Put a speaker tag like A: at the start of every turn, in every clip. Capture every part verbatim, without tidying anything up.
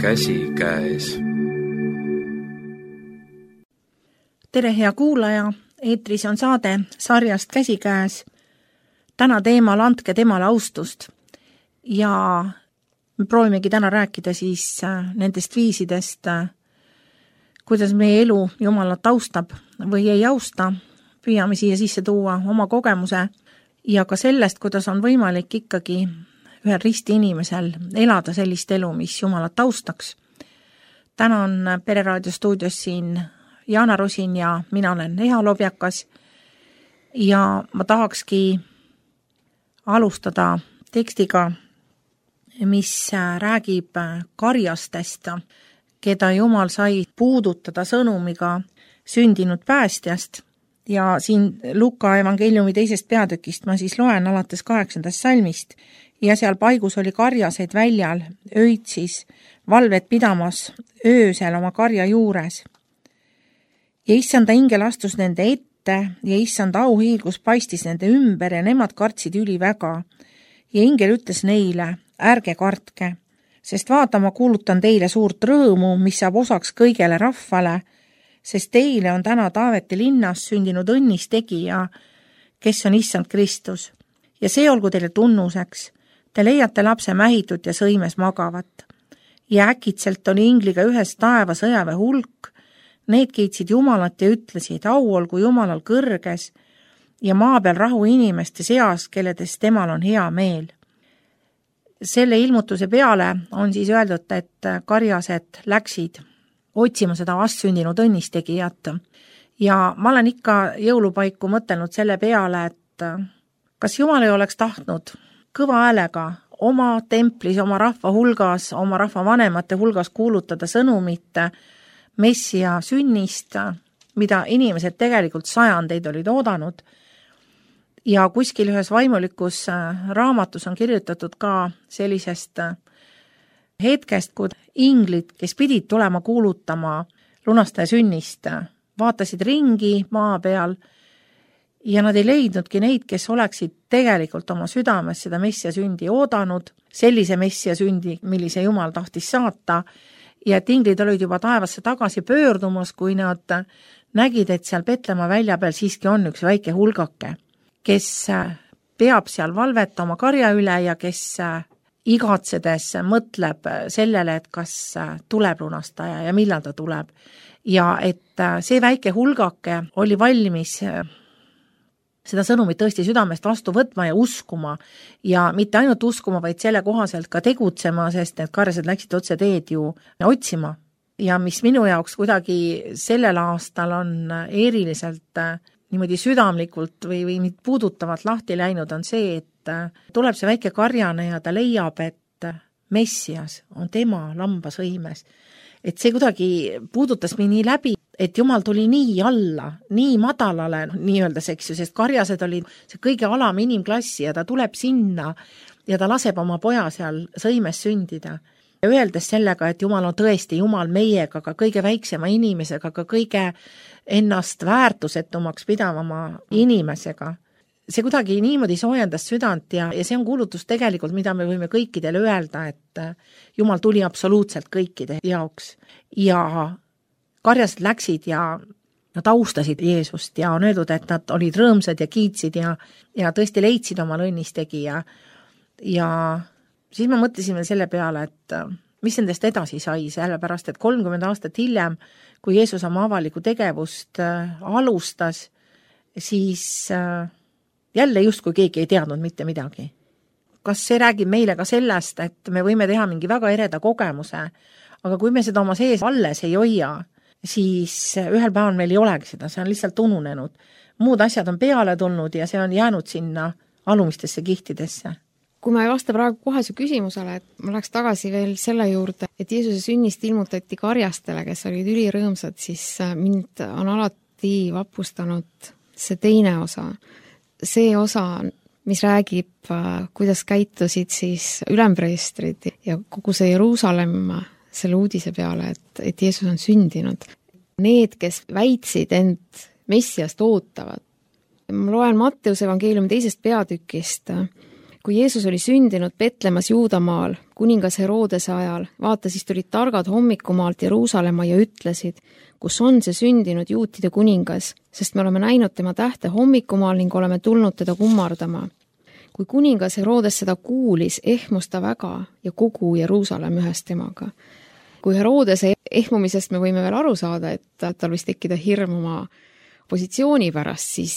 A: käsikäes.
B: Tere, hea kuulaja! Eetris on saade sarjast Käsikäes. Täna teemal Andke temale austust. Ja me proovimegi täna rääkida siis nendest viisidest, kuidas meie elu Jumalat austab või ei austa. Püüame siia sisse tuua oma kogemuse ja ka sellest, kuidas on võimalik ikkagi ühel risti inimesel elada sellist elu, mis Jumalat austaks. Täna on Pereraadio stuudios siin Jaana Rosin ja mina olen Eha Lobjakas ja ma tahakski alustada tekstiga, mis räägib karjastest, keda Jumal sai puudutada sõnumiga sündinud päästjast. Ja siin Luka evangeeliumi teisest peatükist ma siis loen alates kaheksandast salmist ja seal paigus oli karjaseid väljal, öitsis, valvet pidamas öösel oma karja juures. Ja issanda ingel astus nende ette ja issanda auhiilgus paistis nende ümber ja nemad kartsid üli väga. Ja ingel ütles neile, ärge kartke, sest vaata, ma kuulutan teile suurt rõõmu, mis saab osaks kõigele rahvale, sest teile on täna Taaveti linnas sündinud õnnistegija, kes on issand Kristus. Ja see olgu teile tunnuseks, te leiate lapse mähitud ja sõimes magavat. Ja äkitselt oli ingliga ühes taeva sõjaväe hulk, need kiitsid Jumalat ja ütlesid, au olgu Jumalal kõrges ja maa peal rahu inimeste seas, kelledes temal on hea meel. Selle ilmutuse peale on siis öeldud, et karjased läksid otsima seda vastsündinud õnnistegijat. Ja ma olen ikka jõulupaiku mõtelnud selle peale, et kas Jumal ei oleks tahtnud kõva häälega oma templis, oma rahva hulgas, oma rahva vanemate hulgas kuulutada sõnumit Messia sünnist, mida inimesed tegelikult sajandeid olid oodanud. Ja kuskil ühes vaimulikus raamatus on kirjutatud ka sellisest hetkest, kui inglid, kes pidid tulema kuulutama lunastaja sünnist, vaatasid ringi maa peal ja nad ei leidnudki neid, kes oleksid tegelikult oma südames seda Messia sündi oodanud, sellise Messia sündi, millise Jumal tahtis saata, ja et inglid olid juba taevasse tagasi pöördumas, kui nad nägid, et seal Petlemma välja peal siiski on üks väike hulgake, kes peab seal valvet oma karja üle ja kes igatsedes mõtleb sellele, et kas tuleb lunastaja ja millal ta tuleb. Ja et see väike hulgake oli valmis seda sõnumit tõesti südamest vastu võtma ja uskuma ja mitte ainult uskuma, vaid selle kohaselt ka tegutsema, sest need karjased läksid otse teed ju otsima. Ja mis minu jaoks kuidagi sellel aastal on eriliselt niimoodi südamlikult või, või puudutavalt lahti läinud, on see, et tuleb see väike karjane ja ta leiab, et Messias on tema lambasõimes. Et see kuidagi puudutas mind nii läbi, et Jumal tuli nii alla, nii madalale, nii öeldes, eks ju, sest karjased olid see kõige alam inimklassi ja ta tuleb sinna ja ta laseb oma poja seal sõimes sündida. Ja öeldes sellega, et Jumal on tõesti Jumal meiega, ka kõige väiksema inimesega, ka kõige ennast väärtusetumaks pidavama inimesega. See kuidagi niimoodi soojendas südant ja, ja see on kuulutus tegelikult, mida me võime kõikidele öelda, et Jumal tuli absoluutselt kõikide jaoks. Ja karjased läksid ja nad austasid Jeesust ja on öeldud, et nad olid rõõmsad ja kiitsid ja, ja tõesti leidsid oma õnnistegija. Ja siis ma mõtlesin veel selle peale, et mis nendest edasi sai, sellepärast, et kolmkümmend aastat hiljem, kui Jeesus oma avaliku tegevust alustas, siis jälle justkui keegi ei teadnud mitte midagi. Kas see räägib meile ka sellest, et me võime teha mingi väga ereda kogemuse, aga kui me seda oma sees alles ei hoia, siis ühel päeval meil ei olegi seda, see on lihtsalt ununenud. Muud asjad on peale tulnud ja see on jäänud sinna alumistesse kihtidesse.
C: Kui ma ei vasta praegu kohe su küsimusele, et ma läheks tagasi veel selle juurde, et Jeesuse sünnist ilmutati karjastele, kes olid ülirõõmsad, siis mind on alati vapustanud see teine osa. See osa, mis räägib, kuidas käitusid siis ülempreestrid ja kogu see Jeruusalemm selle uudise peale, et, et Jeesus on sündinud. Need, kes väitsid end Messiast ootavad. Ma loen Matteuse evangeeliumi teisest peatükist. Kui Jeesus oli sündinud Petlemas Juudamaal, kuningas Herodese ajal, vaata, siis tulid targad hommikumaalt Jeruusalemma ja ütlesid, kus on see sündinud juutide kuningas, sest me oleme näinud tema tähte hommikumaal ning oleme tulnud teda kummardama. Kui kuningas Herodes seda kuulis, ehmus ta väga ja kogu Jeruusalemm ühes temaga. Kui Herodese ehmumisest me võime veel aru saada, et tal võis tekkida hirm oma positsiooni pärast, siis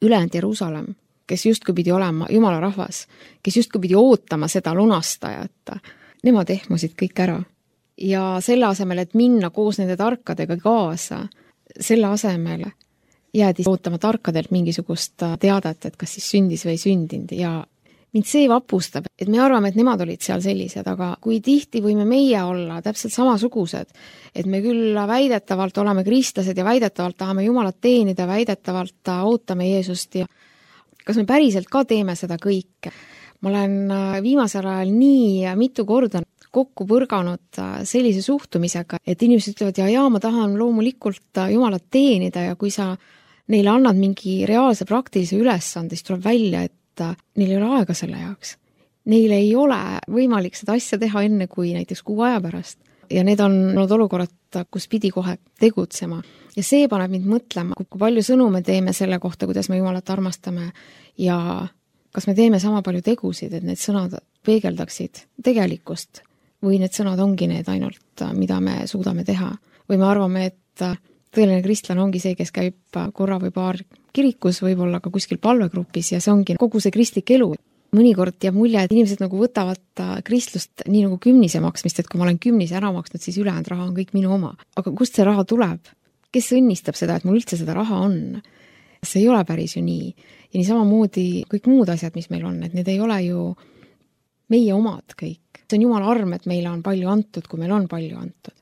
C: ülejäänud Jeruusalemm, kes justkui pidi olema Jumala rahvas, kes justkui pidi ootama seda lunastajat, nemad ehmusid kõik ära. Ja selle asemel, et minna koos nende tarkadega kaasa, selle asemel jäädi ootama tarkadelt mingisugust teadet, et kas siis sündis või sündinud ja mind see vapustab, et me arvame, et nemad olid seal sellised, aga kui tihti võime meie olla täpselt samasugused, et me küll väidetavalt oleme kristlased ja väidetavalt tahame Jumalat teenida, väidetavalt ootame Jeesust ja kas me päriselt ka teeme seda kõike? Ma olen viimasel ajal nii mitu korda kokku põrganud sellise suhtumisega, et inimesed ütlevad, ja jaa, ma tahan loomulikult Jumalat teenida ja kui sa neile annad mingi reaalse praktilise ülesande, siis tuleb välja, et neil ei ole aega selle jaoks. Neil ei ole võimalik seda asja teha enne kui näiteks kuu aja pärast. Ja need on olnud olukorrad, kus pidi kohe tegutsema. Ja see paneb mind mõtlema, kui palju sõnu me teeme selle kohta, kuidas me Jumalat armastame ja kas me teeme sama palju tegusid, et need sõnad peegeldaksid tegelikkust või need sõnad ongi need ainult, mida me suudame teha. Või me arvame, et tõeline kristlane ongi see, kes käib korra või paar kirikus, võib-olla ka kuskil palvegrupis ja see ongi kogu see kristlik elu. Mõnikord jääb mulje, et inimesed nagu võtavad kristlust nii nagu kümnise maksmist, et kui ma olen kümnise ära maksnud, siis ülejäänud raha on kõik minu oma. Aga kust see raha tuleb? Kes õnnistab seda, et mul üldse seda raha on? See ei ole päris ju nii. Ja nii samamoodi kõik muud asjad, mis meil on, et need ei ole ju meie omad kõik. See on Jumala arm, et meile on palju antud, kui meil on palju antud.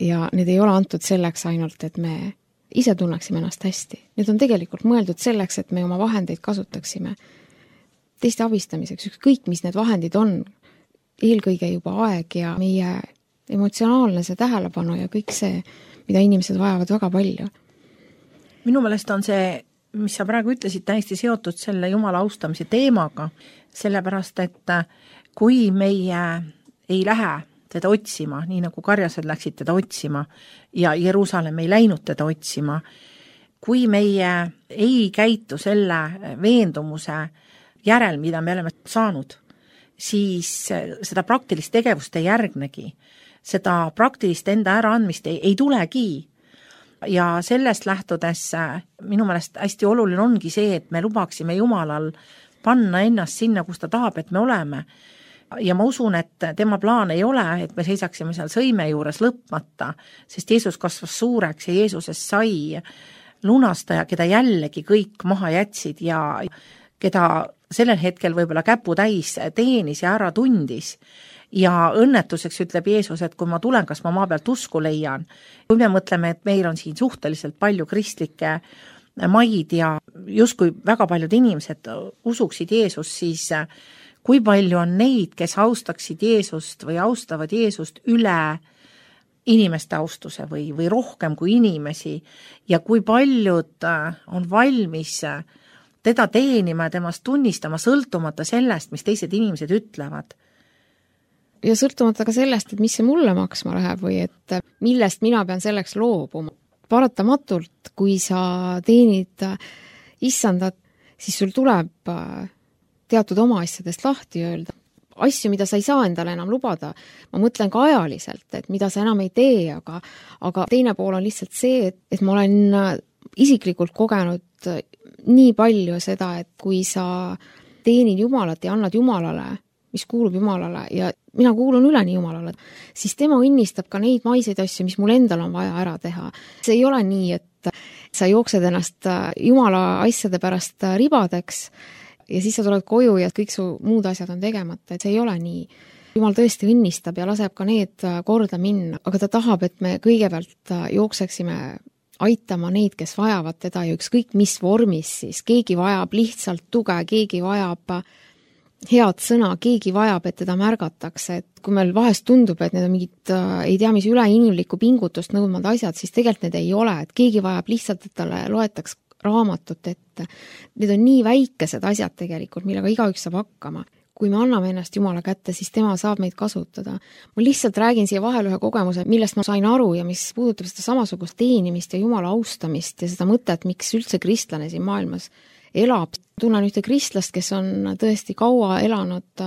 C: Ja need ei ole antud selleks ainult, et me ise tunneksime ennast hästi. Need on tegelikult mõeldud selleks, et me oma vahendeid kasutaksime teiste abistamiseks, ükskõik mis need vahendid on, eelkõige juba aeg ja meie emotsionaalne see tähelepanu ja kõik see, mida inimesed vajavad väga palju.
B: Minu meelest on see, mis sa praegu ütlesid, täiesti seotud selle Jumala austamise teemaga, sellepärast, et kui meie ei lähe teda otsima, nii nagu karjased läksid teda otsima ja Jeruusalemm ei läinud teda otsima, kui meie ei käitu selle veendumuse järel, mida me oleme saanud, siis seda praktilist tegevust ei järgnegi. Seda praktilist enda äraandmist ei, ei tulegi. Ja sellest lähtudes minu meelest hästi oluline ongi see, et me lubaksime Jumalal panna ennast sinna, kus ta tahab, et me oleme. Ja ma usun, et tema plaan ei ole, et me seisaksime seal sõime juures lõpmata, sest Jeesus kasvas suureks ja Jeesusest sai lunastaja, keda jällegi kõik maha jätsid ja keda sellel hetkel võib-olla käpu täis teenis ja ära tundis. Ja õnnetuseks ütleb Jeesus, et kui ma tulen, kas ma maa pealt usku leian. Kui me mõtleme, et meil on siin suhteliselt palju kristlikke maid ja justkui väga paljud inimesed usuksid Jeesus, siis kui palju on neid, kes austaksid Jeesust või austavad Jeesust üle inimeste austuse või, või rohkem kui inimesi ja kui paljud on valmis teda teenima ja temast tunnistama sõltumata sellest, mis teised inimesed ütlevad.
C: Ja sõltumata ka sellest, et mis see mulle maksma läheb või et millest mina pean selleks loobuma. Paratamatult, kui sa teenid issandat, siis sul tuleb teatud oma asjadest lahti öelda. Asju, mida sa ei saa endale enam lubada. Ma mõtlen ka ajaliselt, et mida sa enam ei tee, aga, aga teine pool on lihtsalt see, et, et ma olen isiklikult kogenud nii palju seda, et kui sa teenid Jumalat ja annad Jumalale, mis kuulub Jumalale ja mina kuulun üleni Jumalale, siis tema õnnistab ka neid maiseid asju, mis mul endal on vaja ära teha. See ei ole nii, et sa jooksed ennast Jumala asjade pärast ribadeks ja siis sa tuled koju ja kõik su muud asjad on tegemata, et see ei ole nii. Jumal tõesti õnnistab ja laseb ka need korda minna, aga ta tahab, et me kõigepealt jookseksime aitama neid, kes vajavad teda ja ükskõik mis vormis siis. Keegi vajab lihtsalt tuge, keegi vajab head sõna, keegi vajab, et teda märgatakse, et kui meil vahest tundub, et need on mingid, ei tea, mis üleinimlikku pingutust nõudmad asjad, siis tegelikult need ei ole, et keegi vajab lihtsalt, et talle loetaks raamatut ette. Need on nii väikesed asjad tegelikult, millega igaüks saab hakkama. kui me anname ennast Jumala kätte, siis tema saab meid kasutada. Ma lihtsalt räägin siia vahel ühe kogemuse, millest ma sain aru ja mis puudutab seda samasugust teenimist ja Jumala austamist ja seda mõtet, miks üldse kristlane siin maailmas elab. Tunnen ühte kristlast, kes on tõesti kaua elanud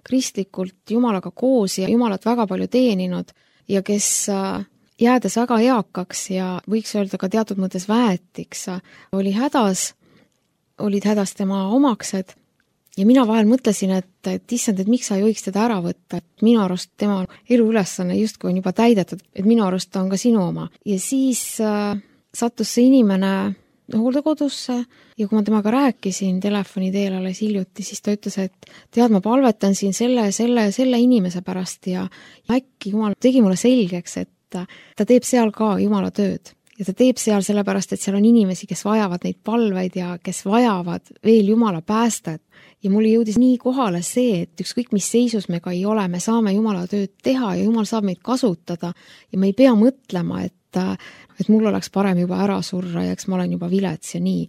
C: kristlikult Jumalaga koos ja Jumalat väga palju teeninud ja kes jäädes väga eakaks ja võiks öelda ka teatud mõttes väetiks, oli hädas, olid hädas tema omaksed ja mina vahel mõtlesin, et, et issand, et miks sa ei võiks teda ära võtta, et minu arust tema eluülesanne justkui on juba täidetud, et minu arust ta on ka sinu oma. Ja siis äh, sattus see inimene hooldekodusse ja kui ma temaga rääkisin telefoni teel alles hiljuti, siis ta ütles, et tead, ma palvetan siin selle, selle, selle inimese pärast ja äkki Jumal tegi mulle selgeks, et ta teeb seal ka Jumala tööd ja ta teeb seal sellepärast, et seal on inimesi, kes vajavad neid palveid ja kes vajavad veel Jumala päästet. Ja mulle jõudis nii kohale see, et ükskõik mis seisus me ka ei ole, me saame Jumala tööd teha ja Jumal saab meid kasutada ja me ei pea mõtlema, et, et mul oleks parem juba ära surra ja eks ma olen juba vilets ja nii,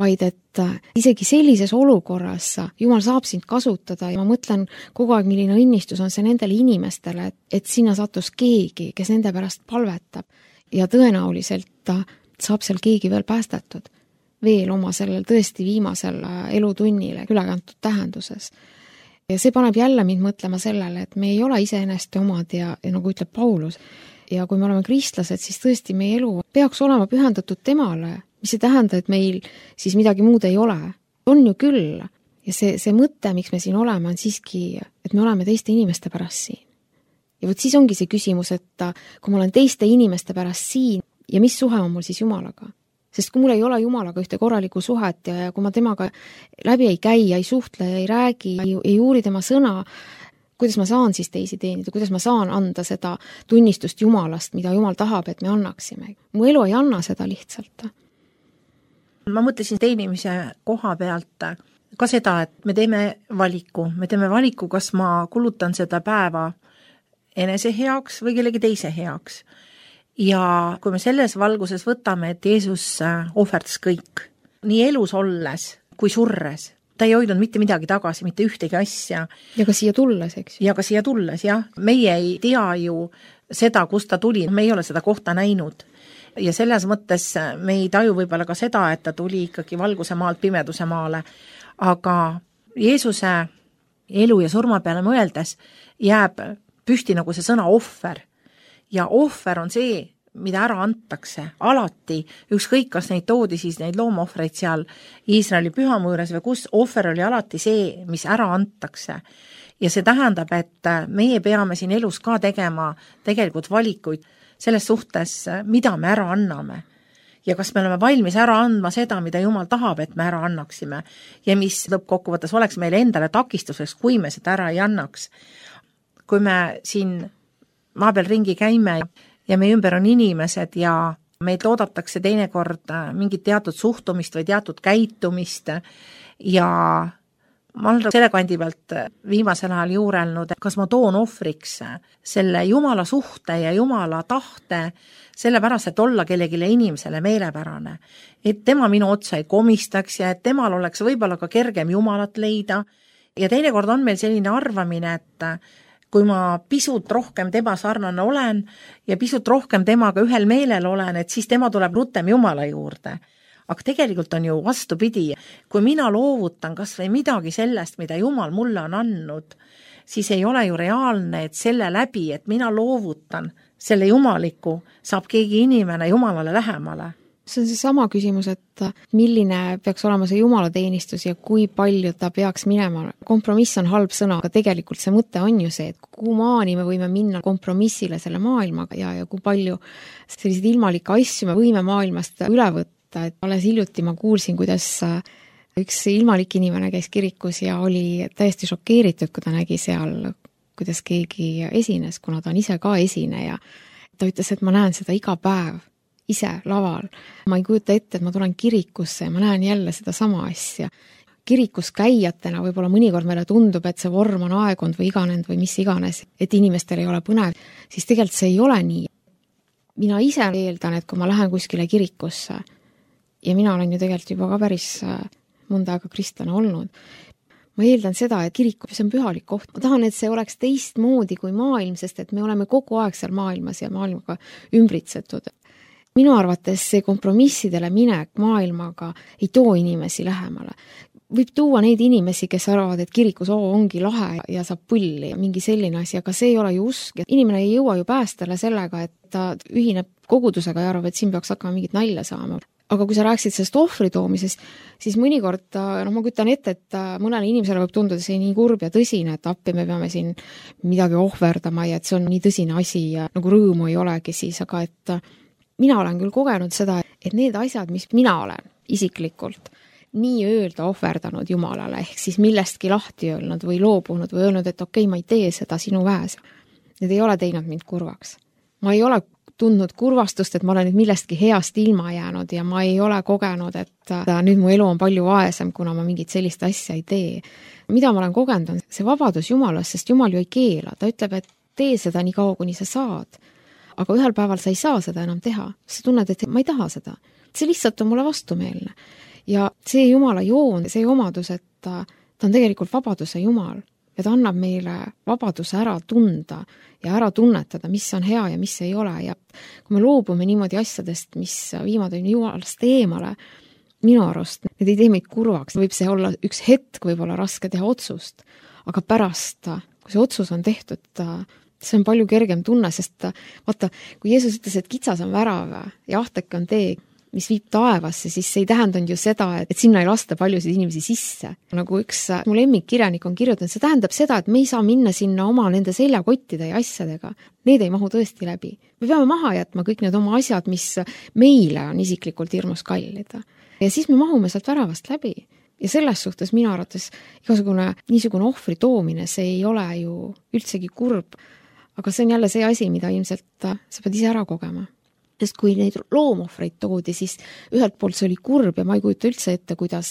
C: vaid et isegi sellises olukorras Jumal saab sind kasutada ja ma mõtlen kogu aeg, milline õnnistus on see nendele inimestele, et, et sinna sattus keegi, kes nende pärast palvetab ja tõenäoliselt saab seal keegi veel päästetud, veel oma sellel tõesti viimasel elutunnile ülekantud tähenduses. Ja see paneb jälle mind mõtlema sellele, et me ei ole iseennast omad ja, ja nagu ütleb Paulus, ja kui me oleme kristlased, siis tõesti meie elu peaks olema pühendatud temale, mis ei tähenda, et meil siis midagi muud ei ole. On ju küll. Ja see, see mõte, miks me siin oleme, on siiski, et me oleme teiste inimeste pärast siin. Ja võt siis ongi see küsimus, et kui ma olen teiste inimeste pärast siin ja mis suhe on mul siis Jumalaga? Sest kui mul ei ole Jumalaga ühte korralikku suhet ja kui ma temaga läbi ei käi, ei suhtle, ei räägi, ei, ei uuri tema sõna, kuidas ma saan siis teisi teenida, kuidas ma saan anda seda tunnistust Jumalast, mida Jumal tahab, et me annaksime. Mu elu ei anna seda lihtsalt.
B: Ma mõtlesin teenimise koha pealt ka seda, et me teeme valiku. Me teeme valiku, kas ma kulutan seda päeva enese heaks või kellegi teise heaks. Ja kui me selles valguses võtame, et Jeesus ohverdas kõik, nii elus olles kui surres, ta ei hoidnud mitte midagi tagasi, mitte ühtegi asja.
C: Ja ka siia tulles, eks?
B: Ja ka siia tulles, jah. Meie ei tea ju seda, kust ta tuli, me ei ole seda kohta näinud. Ja selles mõttes me ei taju võib-olla ka seda, et ta tuli ikkagi valguse maalt pimeduse maale. Aga Jeesuse elu ja surma peale mõeldes jääb pühti nagu see sõna ohver. Ja ohver on see, mida ära antakse alati, ükskõik kas neid toodi siis neid loomaohvreid seal Iisraeli pühamuures või kus, ohver oli alati see, mis ära antakse. Ja see tähendab, et meie peame siin elus ka tegema tegelikult valikuid selles suhtes, mida me ära anname. Ja kas me oleme valmis ära andma seda, mida Jumal tahab, et me ära annaksime. Ja mis lõppkokkuvõttes oleks meile endale takistuseks, kui me seda ära ei annaks. Kui me siin maa peal ringi käime ja meie ümber on inimesed ja meid oodatakse teinekord mingit teatud suhtumist või teatud käitumist ja ma olen selle kandi pealt viimasel ajal juurelnud, kas ma toon ohvriks selle Jumala suhte ja Jumala tahte sellepärast, et olla kellegile inimesele meelepärane. Et tema minu otsa ei komistaks ja et temal oleks võib-olla ka kergem Jumalat leida. Ja teinekord on meil selline arvamine, et kui ma pisut rohkem tema sarnane olen ja pisut rohkem temaga ühel meelel olen, et siis tema tuleb rutem Jumala juurde. Aga tegelikult on ju vastupidi, kui mina loovutan kas või midagi sellest, mida Jumal mulle on andnud, siis ei ole ju reaalne, et selle läbi, et mina loovutan selle jumaliku, saab keegi inimene Jumalale lähemale.
C: See on see sama küsimus, et milline peaks olema see jumalateenistus ja kui palju ta peaks minema. Kompromiss on halb sõna, aga tegelikult see mõte on ju see, et kuhu maani me võime minna kompromissile selle maailmaga ja, ja kui palju selliseid ilmalikke asju me võime maailmast üle võtta. Et alles hiljuti ma kuulsin, kuidas üks ilmalik inimene käis kirikus ja oli täiesti šokeeritud, kui ta nägi seal, kuidas keegi esines, kuna ta on ise ka esineja. Ta ütles, et ma näen seda iga päev ise laval. Ma ei kujuta ette, et ma tulen kirikusse ja ma näen jälle seda sama asja. Kirikus käijatena võib-olla mõnikord meile tundub, et see vorm on aegond või iganenud või mis iganes, et inimestel ei ole põnev, siis tegelikult see ei ole nii. Mina ise eeldan, et kui ma lähen kuskile kirikusse ja mina olen ju tegelikult juba ka päris mõnda aega kristlane olnud, ma eeldan seda, et kirik, see on pühalik koht. Ma tahan, et see oleks teistmoodi kui maailm, sest et me oleme kogu aeg seal maailmas ja maailmaga ümbritsetud. Minu arvates see kompromissidele minek maailmaga ei too inimesi lähemale. Võib tuua neid inimesi, kes arvavad, et kirikus oo, ongi lahe ja saab pulli ja mingi selline asi, aga see ei ole ju usk. Inimene ei jõua ju päästele sellega, et ta ühineb kogudusega ja arvab, et siin peaks hakkama mingit nalja saama. Aga kui sa rääksid sellest ohvri toomisest, siis mõnikord, no ma kütan ette, et mõnele inimesele võib tunduda see nii kurb ja tõsine, et appi me peame siin midagi ohverdama ja et see on nii tõsine asi ja nagu rõõmu ei olegi siis, aga et mina olen küll kogenud seda, et need asjad, mis mina olen isiklikult nii öelda ohverdanud Jumalale, ehk siis millestki lahti öelnud või loobunud või öelnud, et okei, ma ei tee seda sinu väes. Need ei ole teinud mind kurvaks. Ma ei ole tundnud kurvastust, et ma olen nüüd millestki heast ilma jäänud ja ma ei ole kogenud, et nüüd mu elu on palju vaesem, kuna ma mingit sellist asja ei tee. Mida ma olen kogenud, on see vabadus Jumalast, sest Jumal ju ei keela. Ta ütleb, et tee seda nii kaua, kuni sa saad. Aga ühel päeval sa ei saa seda enam teha. Sa tunned, et ma ei taha seda. See lihtsalt on mulle vastumeelne. Ja see Jumala joon, see omadus, et ta, ta on tegelikult vabaduse Jumal ja ta annab meile vabaduse ära tunda ja ära tunnetada, mis on hea ja mis ei ole. Ja kui me loobume niimoodi asjadest, mis viimad on Jumalast eemale, minu arust, need ei tee meid kurvaks. Võib see olla üks hetk, võib olla raske teha otsust, aga pärast, kui see otsus on tehtud, see on palju kergem tunne, sest vaata, kui Jeesus ütles, et kitsas on värav ja ahtek on tee, mis viib taevasse, siis see ei tähendanud ju seda, et sinna ei lasta paljusid inimesi sisse. Nagu üks mu lemmikkirjanik on kirjutanud, see tähendab seda, et me ei saa minna sinna oma nende seljakottide ja asjadega. Need ei mahu tõesti läbi. Me peame maha jätma kõik need oma asjad, mis meile on isiklikult hirmus kallid. Ja siis me mahume sealt väravast läbi. Ja selles suhtes minu arvates igasugune niisugune ohvri toomine, see ei ole ju üldsegi kurb, aga see on jälle see asi, mida ilmselt sa pead ise ära kogema. Sest kui neid loomohvreid toodi, siis ühelt poolt see oli kurb ja ma ei kujuta üldse ette, kuidas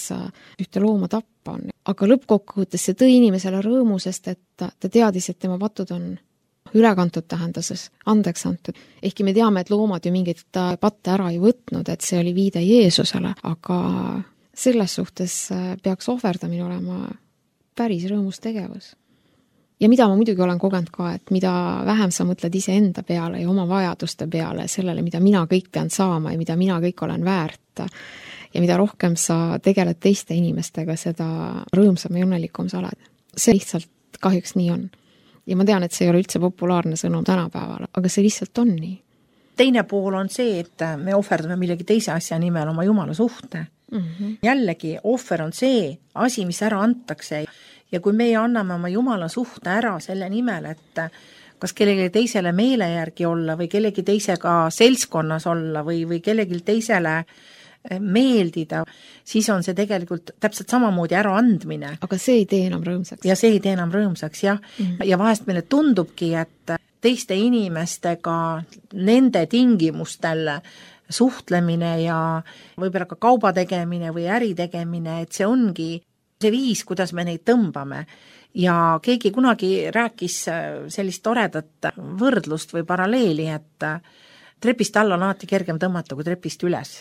C: ühte looma tappa on. Aga lõppkokkuvõttes see tõi inimesele rõõmu, sest et ta teadis, et tema patud on ülekantud tähenduses, andeks antud. Ehkki me teame, et loomad ju mingit patte ära ei võtnud, et see oli viide Jeesusele, aga selles suhtes peaks ohverdamine olema päris rõõmus tegevus. Ja mida ma muidugi olen kogenud ka, et mida vähem sa mõtled ise enda peale ja oma vajaduste peale, sellele, mida mina kõik pean saama ja mida mina kõik olen väärt ja mida rohkem sa tegeled teiste inimestega, seda rõõmsam ja õnnelikum sa oled. See lihtsalt kahjuks nii on. Ja ma tean, et see ei ole üldse populaarne sõnum tänapäeval, aga see lihtsalt on nii.
B: Teine pool on see, et me ohverdame millegi teise asja nimel oma Jumala suhte. Mm-hmm. Jällegi, ohver on see asi, mis ära antakse. Ja kui meie anname oma Jumala suhte ära selle nimel, et kas kellegi teisele meele järgi olla või kellegi teisega seltskonnas olla või, või kellegi teisele meeldida, siis on see tegelikult täpselt samamoodi ära andmine.
C: Aga see ei tee enam rõõmsaks.
B: Ja see ei tee enam rõõmsaks, jah. Mm-hmm. Ja vahest meile tundubki, et teiste inimestega nende tingimustel suhtlemine ja võib-olla ka kauba tegemine või äri tegemine, et see ongi see viis, kuidas me neid tõmbame. Ja keegi kunagi rääkis sellist toredat võrdlust või paralleeli, et trepist alla on alati kergem tõmmata kui trepist üles.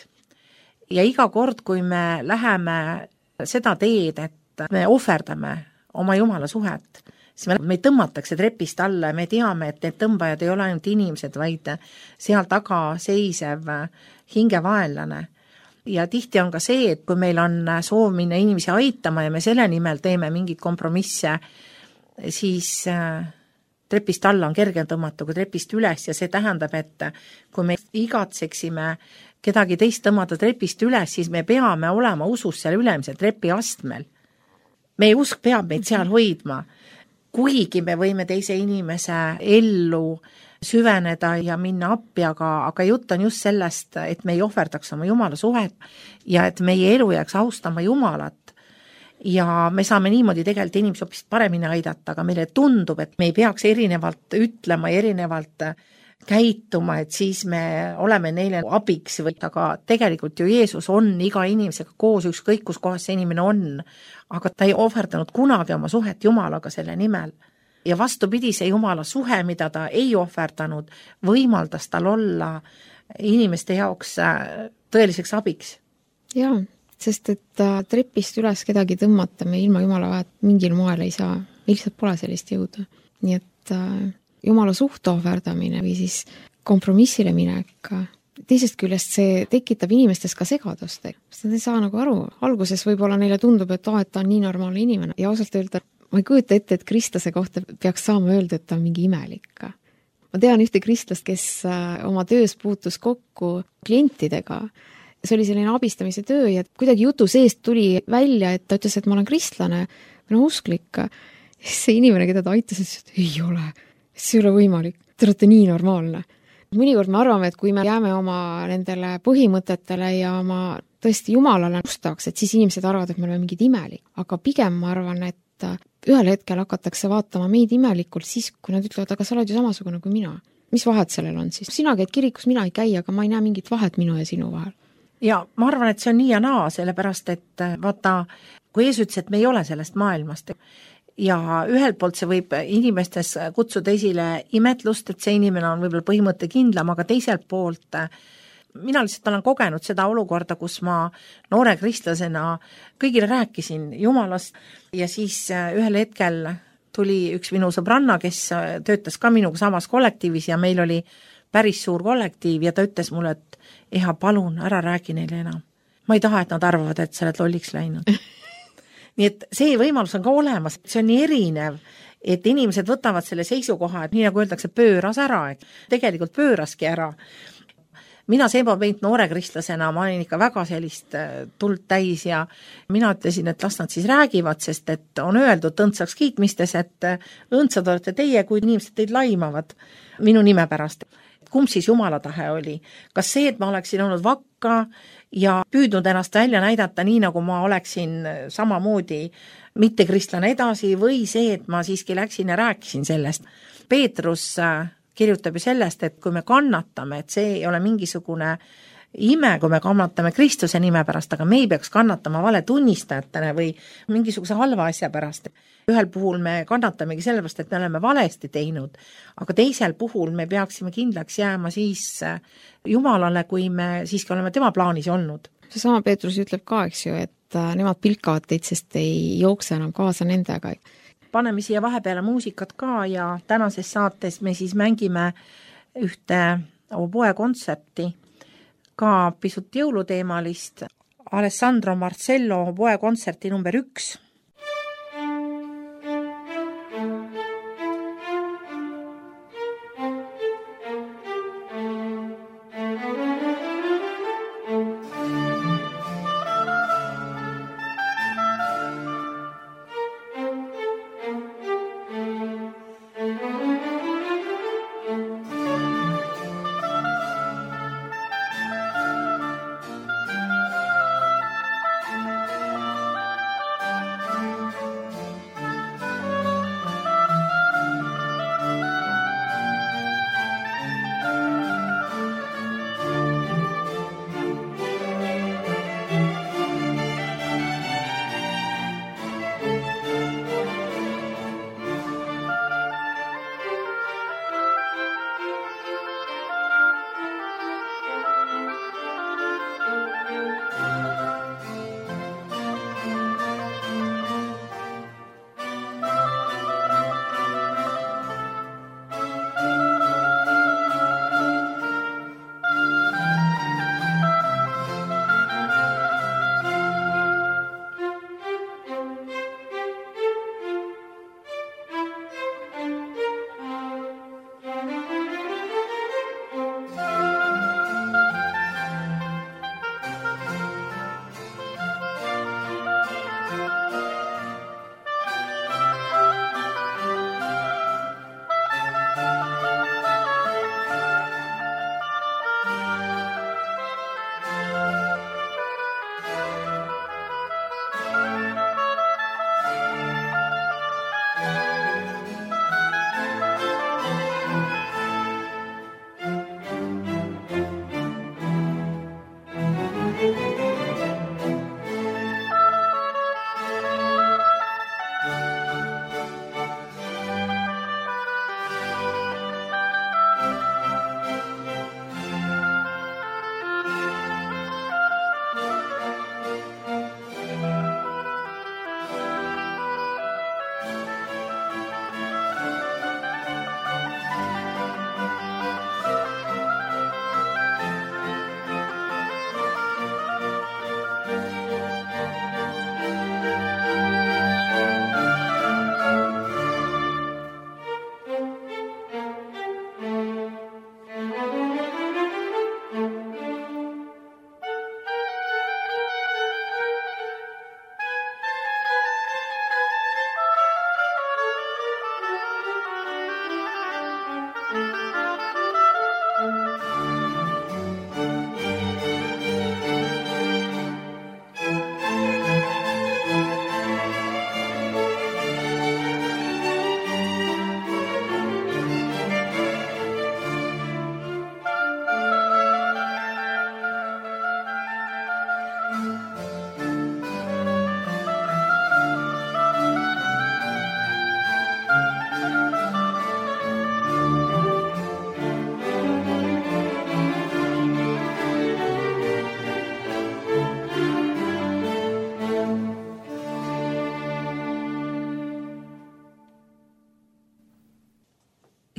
B: Ja iga kord, kui me läheme seda teed, et me ohverdame oma Jumala suhet, siis me, me tõmmatakse trepist alla ja me teame, et need tõmbajad ei ole ainult inimesed, vaid seal taga seisev hingevaenlane. Ja tihti on ka see, et kui meil on soov minna inimesi aitama ja me selle nimel teeme mingid kompromisse, siis trepist alla on kergem tõmmata kui trepist üles ja see tähendab, et kui me igatseksime kedagi teist tõmmata trepist üles, siis me peame olema usus seal ülemisel trepi astmel. Meie usk peab meid seal hoidma, kuigi me võime teise inimese ellu süveneda ja minna appi, aga, aga jutt on just sellest, et me ei ohverdaks oma Jumala suhet ja et meie elu jääks austama Jumalat. Ja me saame niimoodi tegelikult inimesi hoopis paremini aidata, aga meile tundub, et me ei peaks erinevalt ütlema ja erinevalt käituma, et siis me oleme neile abiks, aga tegelikult ju Jeesus on iga inimesega koos, ükskõik kus kohas see inimene on, aga ta ei ohverdanud kunagi oma suhet Jumalaga selle nimel. Ja vastupidi, see Jumala suhe, mida ta ei ohverdanud, võimaldas tal olla inimeste jaoks tõeliseks abiks.
C: Jaa, sest et trepist üles kedagi tõmmata me ilma Jumala vahet mingil moel ei saa. Meil lihtsalt pole sellist jõudu. Nii et Jumala suhte ohverdamine või siis kompromissile minek, teisest küljest see tekitab inimestes ka segadust. Sest nad ei saa nagu aru. Alguses võib-olla neile tundub, et, oh, et ta on nii normaalne inimene. Ja ausalt öelda, ma ei kujuta ette, et kristlase kohta peaks saama öelda, et ta on mingi imelik. Ma tean ühte kristlast, kes oma töös puutus kokku klientidega. See oli selline abistamise töö ja kuidagi jutu seest tuli välja, et ta ütles, et ma olen kristlane või no usklik. See inimene, keda ta aitas, ütles, et ei ole. See ei ole võimalik. Te olete nii normaalne. Mõnikord me arvame, et kui me jääme oma nendele põhimõtetele ja oma tõesti Jumalale ustaks, et siis inimesed arvavad, et me oleme mingid imelik. Aga pigem ma arvan, et ühel hetkel hakatakse vaatama meid imelikult siis, kui nad ütlevad, aga sa oled ju samasugune kui mina. Mis vahet sellel on siis? Sina käid kirikus, mina ei käi, aga ma ei näe mingit vahet minu ja sinu vahel.
B: Ja ma arvan, et see on nii ja naa, sellepärast, et vaata, kui Jeesus ütles, et me ei ole sellest maailmast ja ühelt poolt see võib inimestes kutsuda esile imetlust, et see inimene on võib-olla põhimõtte kindlam, aga teiselt poolt mina lihtsalt olen kogenud seda olukorda, kus ma noore kristlasena kõigile rääkisin Jumalast ja siis ühel hetkel tuli üks minu sõbranna, kes töötas ka minuga samas kollektiivis ja meil oli päris suur kollektiiv ja ta ütles mulle, et Eha, palun, ära räägi neile enam. Ma ei taha, et nad arvavad, et sa oled lolliks läinud. Nii et see võimalus on ka olemas, see on nii erinev, et inimesed võtavad selle seisukoha, et nii nagu öeldakse, pööras ära, et tegelikult pööraski ära. Mina Seebo Peint noore kristlasena, ma olin ikka väga sellist tuld täis ja mina ütlesin, et las nad siis räägivad, sest et on öeldud õndsaks kiitmistes, et õndsad olete teie, kui inimesed teid laimavad minu nime pärast. Kumb siis Jumala tahe oli? Kas see, et ma oleksin olnud vakka ja püüdnud ennast välja näidata nii, nagu ma oleksin samamoodi mitte kristlane edasi või see, et ma siiski läksin ja rääkisin sellest. Peetrus kirjutab ju sellest, et kui me kannatame, et see ei ole mingisugune ime, kui me kannatame Kristuse nime pärast, aga me ei peaks kannatama vale tunnistajatena või mingisuguse halva asja pärast. Ühel puhul me kannatamegi sellepärast, et me oleme valesti teinud, aga teisel puhul me peaksime kindlaks jääma siis Jumalale, kui me siiski oleme tema plaanis olnud.
C: See sama Peetrus ütleb ka, eks ju, et nemad pilkavad teid, sest ei jookse enam kaasa nendega.
B: Paneme siia vahepeale muusikat ka ja tänases saates me siis mängime ühte oboe kontsepti, ka pisut jõuluteemalist, Alessandro Marcello oboe kontserti number üks.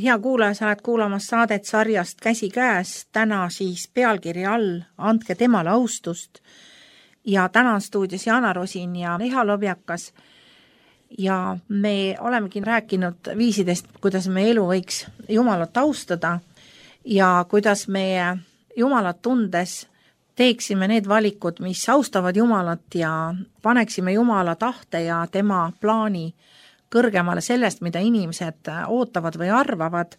B: hea kuulaja, sa oled kuulamas saadet sarjast Käsi käes, täna siis pealkiri all Andke temale austust ja täna on stuudios Jana Rosin ja Riho Lobjakas ja me olemegi rääkinud viisidest, kuidas meie elu võiks Jumalat austada ja kuidas meie Jumalat tundes teeksime need valikud, mis austavad Jumalat ja paneksime Jumala tahte ja tema plaani kõrgemale sellest, mida inimesed ootavad või arvavad.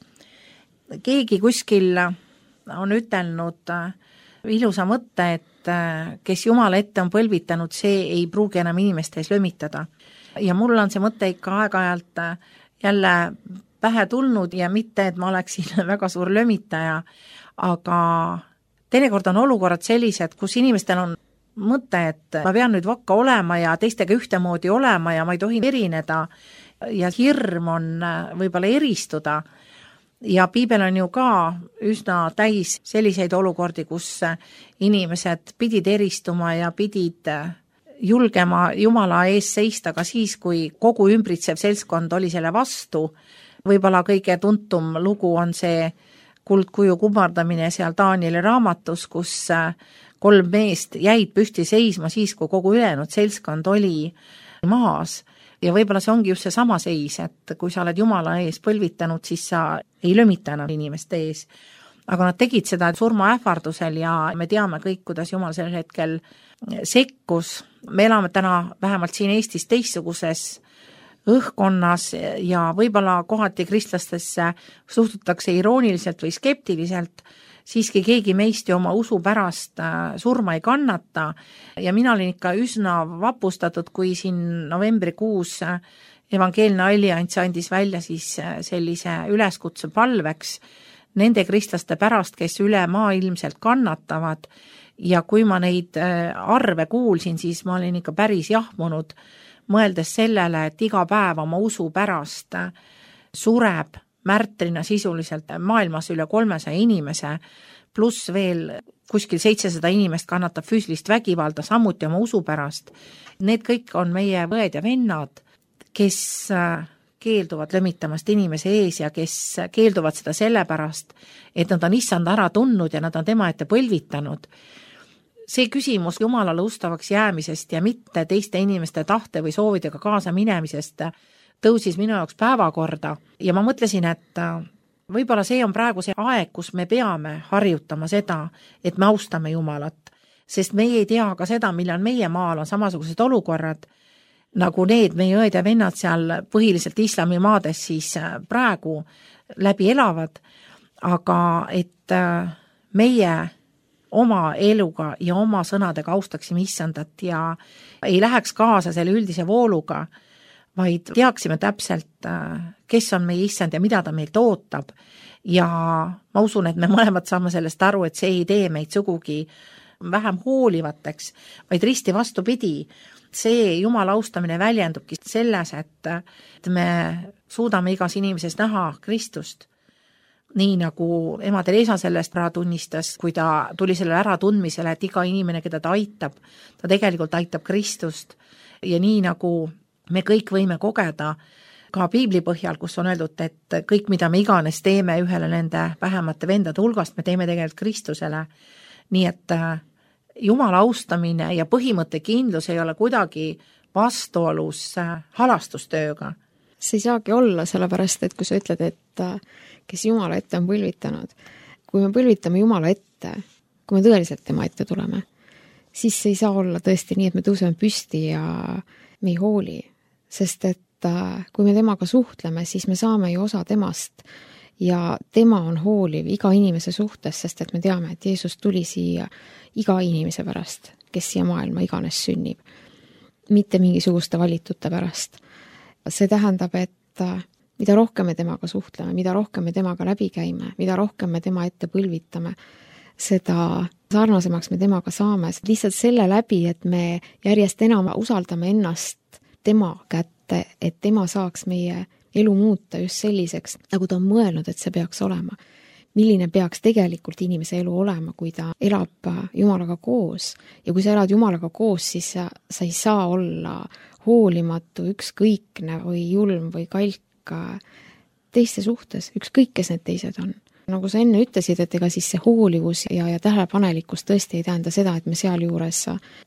B: Keegi kuskil on ütelnud ilusa mõtte, et kes Jumala ette on põlvitanud, see ei pruugi enam inimeste ees lömitada. Ja mul on see mõte ikka aeg-ajalt jälle pähe tulnud ja mitte, et ma oleksin väga suur lömitaja, aga teinekord on olukorrad sellised, kus inimestel on mõte, et ma pean nüüd vakka olema ja teistega ühtemoodi olema ja ma ei tohi erineda ja hirm on võib-olla eristuda. Ja piibel on ju ka üsna täis selliseid olukordi, kus inimesed pidid eristuma ja pidid julgema Jumala ees seista ka siis, kui kogu ümbritsev seltskond oli selle vastu. Võib-olla kõige tuntum lugu on see kuldkuju kummardamine seal Danieli raamatus, kus kolm meest jäid püsti seisma siis, kui kogu ülejäänud seltskond oli maas. Ja võib-olla see ongi just see sama seis, et kui sa oled Jumala ees põlvitanud, siis sa ei lömita enam inimeste ees. Aga nad tegid seda surmaähvardusel ja me teame kõik, kuidas Jumal sel hetkel sekkus. Me elame täna vähemalt siin Eestis teistsuguses õhkonnas ja võib-olla kohati kristlastesse suhtutakse irooniliselt või skeptiliselt, siiski keegi meist ju oma usu pärast surma ei kannata ja mina olin ikka üsna vapustatud, kui siin novembrikuus Evangeelne Allianss andis välja siis sellise üleskutse palveks nende kristlaste pärast, kes üle maailmselt kannatavad ja kui ma neid arve kuulsin, siis ma olin ikka päris jahmunud, mõeldes sellele, et iga päev oma usu pärast sureb märtrina sisuliselt maailmas üle kolmesaja inimese, pluss veel kuskil seitsesada inimest kannatab füüsilist vägivalda, samuti oma usu pärast. Need kõik on meie õed ja vennad, kes keelduvad lömitamast inimese ees ja kes keelduvad seda sellepärast, et nad on issand ära tundnud ja nad on tema ette põlvitanud. See küsimus Jumalale ustavaks jäämisest ja mitte teiste inimeste tahte või soovidega kaasa minemisest tõusis minu jaoks päevakorda ja ma mõtlesin, et võib-olla see on praegu see aeg, kus me peame harjutama seda, et me austame Jumalat, sest meie ei tea ka seda, millal meie maal on samasugused olukorrad, nagu need meie õed ja vennad seal põhiliselt islamimaades siis praegu läbi elavad, aga et meie oma eluga ja oma sõnadega austaksime issandat ja ei läheks kaasa selle üldise vooluga, vaid teaksime täpselt, kes on meie issand ja mida ta meilt ootab. Ja ma usun, et me mõlemad saame sellest aru, et see ei tee meid sugugi vähem hoolivateks, vaid risti vastupidi. See Jumala austamine väljendubki selles, et me suudame igas inimeses näha Kristust. Nii nagu ema Teresa sellest ära tunnistas, kui ta tuli selle ära tundmisele, et iga inimene, keda ta aitab, ta tegelikult aitab Kristust. Ja nii nagu me kõik võime kogeda ka piibli põhjal, kus on öeldud, et kõik, mida me iganes teeme ühele nende vähemate vendade hulgast, me teeme tegelikult Kristusele. Nii et Jumala austamine ja põhimõtte kindlus ei ole kuidagi vastuolus halastustööga.
C: See ei saagi olla, sellepärast, et kui sa ütled, et kes Jumala ette on põlvitanud, kui me põlvitame Jumala ette, kui me tõeliselt tema ette tuleme, siis see ei saa olla tõesti nii, et me tõuseme püsti ja me ei hooli, sest et kui me temaga suhtleme, siis me saame ju osa temast ja tema on hooliv iga inimese suhtes, sest et me teame, et Jeesus tuli siia iga inimese pärast, kes siia maailma iganes sünnib, mitte mingisuguste valitute pärast. See tähendab, et mida rohkem me temaga suhtleme, mida rohkem me temaga läbi käime, mida rohkem me tema ette põlvitame, seda sarnasemaks me temaga saame. Lihtsalt selle läbi, et me järjest enam usaldame ennast tema kätte, et tema saaks meie elu muuta just selliseks, nagu ta on mõelnud, et see peaks olema. Milline peaks tegelikult inimese elu olema, kui ta elab Jumalaga koos. Ja kui sa elad Jumalaga koos, siis sa, sa ei saa olla hoolimatu, ükskõikne või julm või kalk. teiste suhtes, ükskõik, kes need teised on. Nagu sa enne ütlesid, et ega siis see hoolivus ja, ja tähelepanelikkus tõesti ei tähenda seda, et me seal juures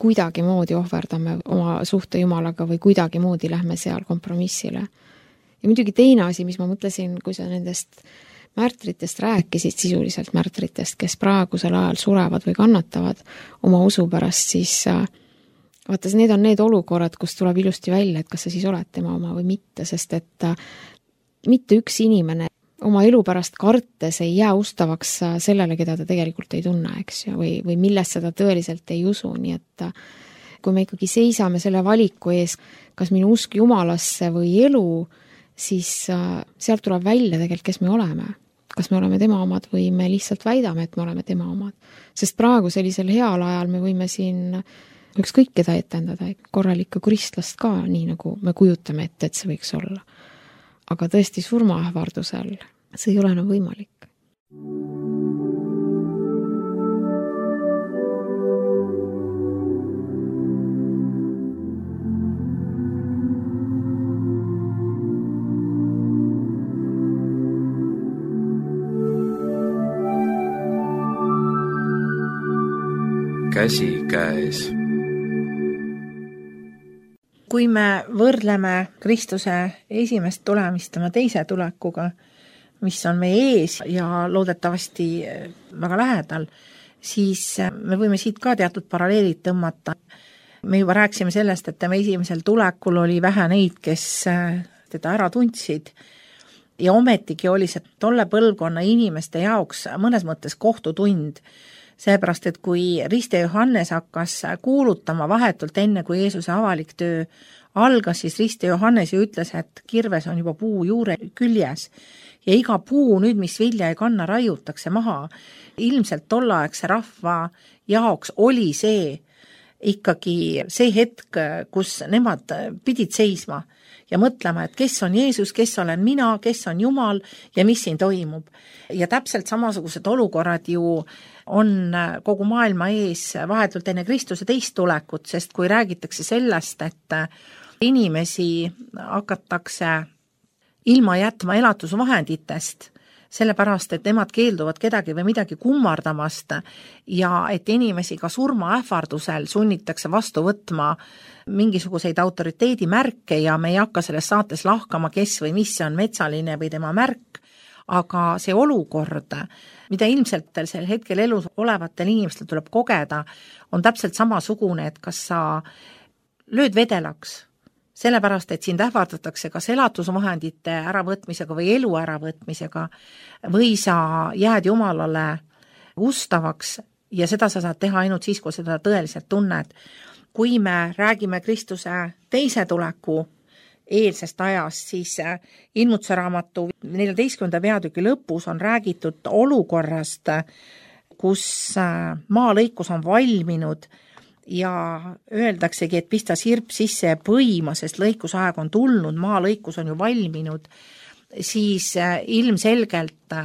C: kuidagi moodi ohverdame oma suhte Jumalaga või kuidagi moodi lähme seal kompromissile. Ja muidugi teine asi, mis ma mõtlesin, kui sa nendest märtritest rääkisid, sisuliselt märtritest, kes praegusel ajal surevad või kannatavad oma usu pärast, siis vaata, need on need olukorrad, kus tuleb ilusti välja, et kas sa siis oled tema oma või mitte, sest et mitte üks inimene oma elu pärast kartes ei jää ustavaks sellele, keda ta tegelikult ei tunne, eks ju, või, või millest seda tõeliselt ei usu, nii et kui me ikkagi seisame selle valiku ees, kas minu usk Jumalasse või elu, siis sealt tuleb välja tegelikult, kes me oleme. Kas me oleme tema omad või me lihtsalt väidame, et me oleme tema omad. Sest praegu sellisel heal ajal me võime siin ükskõik keda etendada, korralikku kristlast ka, nii nagu me kujutame ette, et see võiks olla. Aga tõesti surmaähvardusel see ei ole enam võimalik.
A: Käsi käes.
B: Kui me võrdleme Kristuse esimest tulemist tema teise tulekuga, mis on meie ees ja loodetavasti väga lähedal, siis me võime siit ka teatud paralleelid tõmmata. Me juba rääksime sellest, et tema esimesel tulekul oli vähe neid, kes teda ära tundsid ja ometigi oli see tolle põlvkonna inimeste jaoks mõnes mõttes kohtutund. Seepärast, et kui Riste Johannes hakkas kuulutama vahetult enne, kui Jeesuse avalik töö algas, siis Riste Johannes ju ütles, et kirves on juba puu juure küljes ja iga puu nüüd, mis vilja ei kanna, raiutakse maha. Ilmselt tollaegse rahva jaoks oli see ikkagi see hetk, kus nemad pidid seisma ja mõtlema, et kes on Jeesus, kes olen mina, kes on Jumal ja mis siin toimub. Ja täpselt samasugused olukorrad ju on kogu maailma ees vahetult enne Kristuse teist tulekut, sest kui räägitakse sellest, et inimesi hakatakse ilma jätma elatusvahenditest, sellepärast, et nemad keelduvad kedagi või midagi kummardamast ja et inimesi ka surmaähvardusel sunnitakse vastu võtma mingisuguseid autoriteedimärke ja me ei hakka selles saates lahkama, kes või mis on metsaline või tema märk, aga see olukord, mida ilmselt sel hetkel elus olevatel inimestel tuleb kogeda, on täpselt samasugune, et kas sa lööd vedelaks, sellepärast, et sind ähvardatakse kas elatusvahendite äravõtmisega või elu äravõtmisega või sa jääd Jumalale ustavaks ja seda sa saad teha ainult siis, kui seda tõeliselt tunned. Kui me räägime Kristuse teise tuleku eelsest ajast, siis Ilmutuse raamatu neljateistkümnenda peatüki lõpus on räägitud olukorrast, kus maalõikus on valminud ja öeldaksegi, et pista sirp sisse ja põima, sest lõikusaeg on tulnud, maalõikus on ju valminud, siis ilmselgelt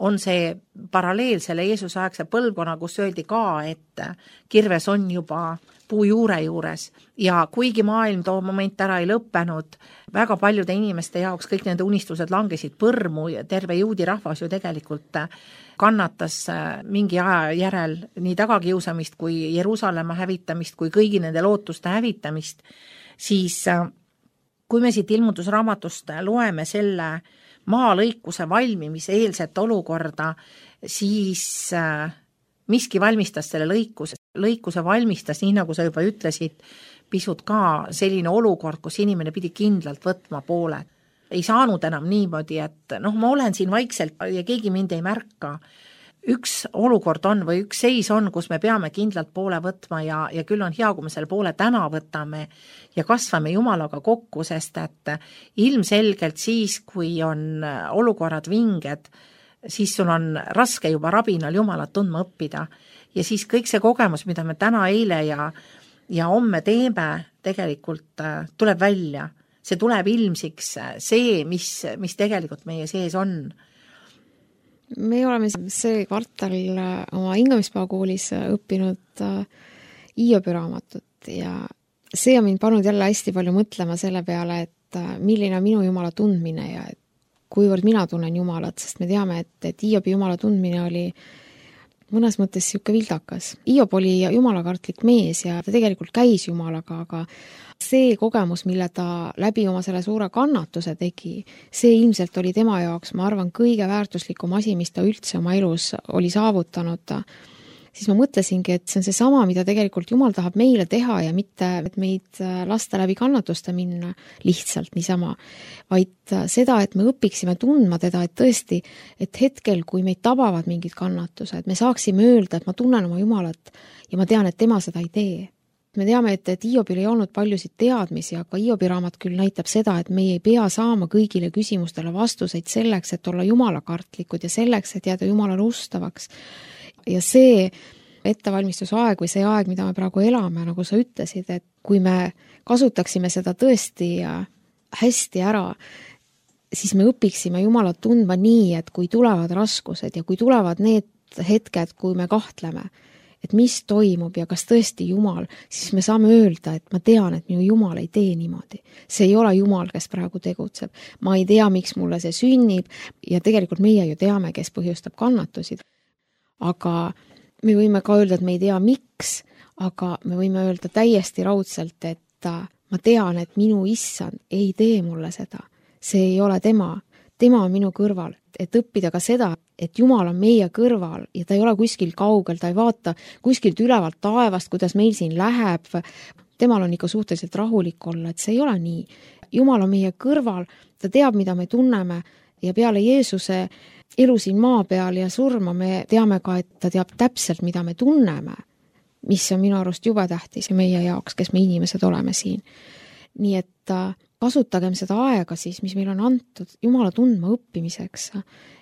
B: on see paralleel selle Jeesuse aegse põlvkonna, kus öeldi ka, et kirves on juba puu juure juures ja kuigi maailm too moment ära ei lõppenud, väga paljude inimeste jaoks kõik nende unistused langesid põrmu ja terve juudi rahvas ju tegelikult kannatas mingi aja järel nii tagakiusamist kui Jeruusalemma hävitamist kui kõigi nende lootuste hävitamist, siis kui me siit ilmutusraamatust loeme selle maalõikuse valmimise eelset olukorda, siis miski valmistas selle lõikuse, lõikuse valmistas, nii nagu sa juba ütlesid, pisut ka selline olukord, kus inimene pidi kindlalt võtma poole. Ei saanud enam niimoodi, et noh, ma olen siin vaikselt ja keegi mind ei märka. Üks olukord on või üks seis on, kus me peame kindlalt poole võtma ja, ja küll on hea, kui me selle poole täna võtame ja kasvame Jumalaga kokku, sest et ilmselgelt siis, kui on olukorrad vinged, siis sul on raske juba rabinal Jumalat tundma õppida ja siis kõik see kogemus, mida me täna, eile ja, ja homme teeme, tegelikult tuleb välja. See tuleb ilmsiks see, mis, mis tegelikult meie sees on.
C: Me oleme see kvartal oma hingamispäevakoolis õppinud Hiobi raamatut ja see on mind pannud jälle hästi palju mõtlema selle peale, et milline on minu Jumala tundmine ja et kuivõrd mina tunnen Jumalat, sest me teame, et, et Hiobi Jumala tundmine oli mõnes mõttes siuke vildakas. Hiob oli jumalakartlik mees ja ta tegelikult käis Jumalaga, aga see kogemus, mille ta läbi oma selle suure kannatuse tegi, see ilmselt oli tema jaoks, ma arvan, kõige väärtuslikum asi, mis ta üldse oma elus oli saavutanud. Siis ma mõtlesingi, et see on see sama, mida tegelikult Jumal tahab meile teha ja mitte et meid lasta läbi kannatuste minna lihtsalt niisama, vaid seda, et me õpiksime tundma teda, et tõesti, et hetkel, kui meid tabavad mingid kannatused, me saaksime öelda, et ma tunnen oma Jumalat ja ma tean, et tema seda ei tee. Me teame, et, et Hiobil ei olnud paljusid teadmisi, aga Hiobi raamat küll näitab seda, et meie ei pea saama kõigile küsimustele vastuseid selleks, et olla jumalakartlikud ja selleks, et jääda Jumalale ustavaks. Ja see ettevalmistusaeg või see aeg, mida me praegu elame, nagu sa ütlesid, et kui me kasutaksime seda tõesti hästi ära, siis me õpiksime Jumalat tundma nii, et kui tulevad raskused ja kui tulevad need hetked, kui me kahtleme, et mis toimub ja kas tõesti Jumal, siis me saame öelda, et ma tean, et minu Jumal ei tee niimoodi. See ei ole Jumal, kes praegu tegutseb. Ma ei tea, miks mulle see sünnib ja tegelikult meie ju teame, kes põhjustab kannatusid. Aga me võime ka öelda, et me ei tea miks, aga me võime öelda täiesti raudselt, et ma tean, et minu issand ei tee mulle seda. See ei ole tema. Tema on minu kõrval. Et õppida ka seda, et Jumal on meie kõrval ja ta ei ole kuskil kaugel, ta ei vaata kuskilt ülevalt taevast, kuidas meil siin läheb. Temal on ikka suhteliselt rahulik olla, et see ei ole nii. Jumal on meie kõrval, ta teab, mida me tunneme ja peale Jeesuse elu siin maa peal ja surma me teame ka, et ta teab täpselt, mida me tunneme, mis on minu arust jube tähtis ja meie jaoks, kes me inimesed oleme siin. Nii et kasutagem seda aega siis, mis meil on antud Jumala tundma õppimiseks.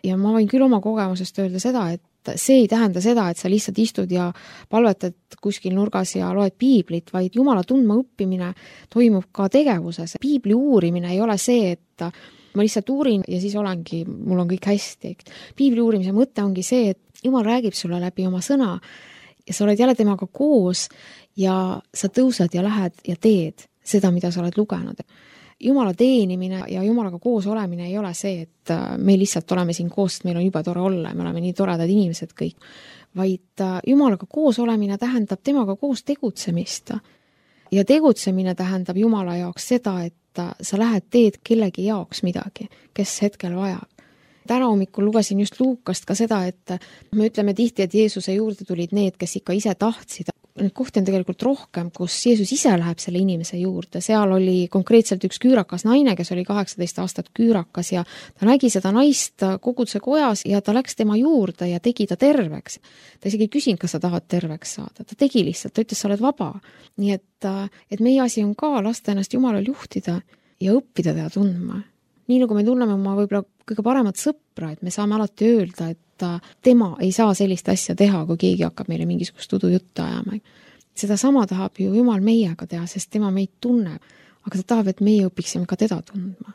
C: Ja ma võin küll oma kogemusest öelda seda, et see ei tähenda seda, et sa lihtsalt istud ja palvetad kuskil nurgas ja loed piiblit, vaid Jumala tundma õppimine toimub ka tegevuses. Piibli uurimine ei ole see, et ma lihtsalt uurin ja siis olengi, mul on kõik hästi. Piibli uurimise mõte ongi see, et Jumal räägib sulle läbi oma sõna ja sa oled jälle temaga koos ja sa tõused ja lähed ja teed seda, mida sa oled lugenud. Jumala teenimine ja Jumalaga koos olemine ei ole see, et me lihtsalt oleme siin koos, et meil on juba tore olla ja me oleme nii toredad inimesed kõik, vaid Jumalaga koos olemine tähendab temaga koos tegutsemist. Ja tegutsemine tähendab Jumala jaoks seda, et sa lähed teed kellegi jaoks midagi, kes hetkel vajab. Täna hommikul lugesin just Luukast ka seda, et me ütleme tihti, et Jeesuse juurde tulid need, kes ikka ise tahtsid. Need kohti on tegelikult rohkem, kus Jeesus ise läheb selle inimese juurde. Seal oli konkreetselt üks küürakas naine, kes oli kaheksateist aastat küürakas ja ta nägi seda naist koguduse kojas ja ta läks tema juurde ja tegi ta terveks. Ta isegi ei küsinud, kas sa tahad terveks saada. Ta tegi lihtsalt, ta ütles, sa oled vaba. Nii et, et meie asi on ka lasta ennast Jumalal juhtida ja õppida teda tundma. Nii nagu me tunneme oma võib-olla kõige paremat sõpra, et me saame alati öelda, et tema ei saa sellist asja teha, kui keegi hakkab meile mingisugust udujuttu ajama. Seda sama tahab ju Jumal meiega teha, sest tema meid tunneb, aga ta tahab, et meie õpiksime ka teda tundma.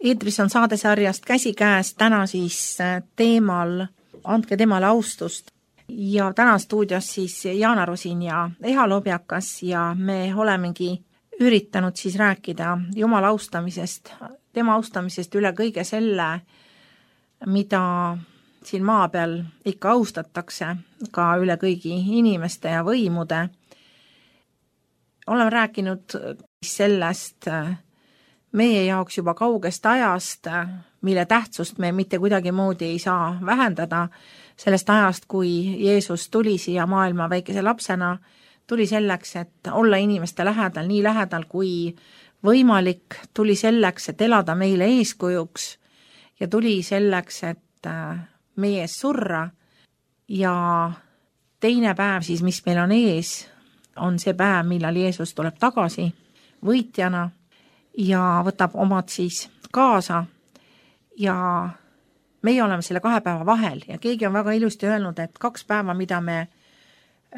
B: Eetris on saadesarjast Käsikäes, täna siis teemal Andke temale austust. Ja täna stuudios siis Jaana Rosin ja Eha Lobjakas ja me olemegi üritanud siis rääkida Jumala austamisest, tema austamisest üle kõige selle, mida siin maa peal ikka austatakse, ka üle kõigi inimeste ja võimude. Oleme rääkinud sellest meie jaoks juba kaugest ajast, mille tähtsust me mitte kuidagi moodi ei saa vähendada, sellest ajast, kui Jeesus tuli siia maailma väikese lapsena, tuli selleks, et olla inimeste lähedal, nii lähedal kui võimalik, tuli selleks, et elada meile eeskujuks ja tuli selleks, et meie ees surra ja teine päev siis, mis meil on ees, on see päev, millal Jeesus tuleb tagasi võitjana ja võtab omad siis kaasa ja meie oleme selle kahe päeva vahel ja keegi on väga ilusti öelnud, et kaks päeva, mida me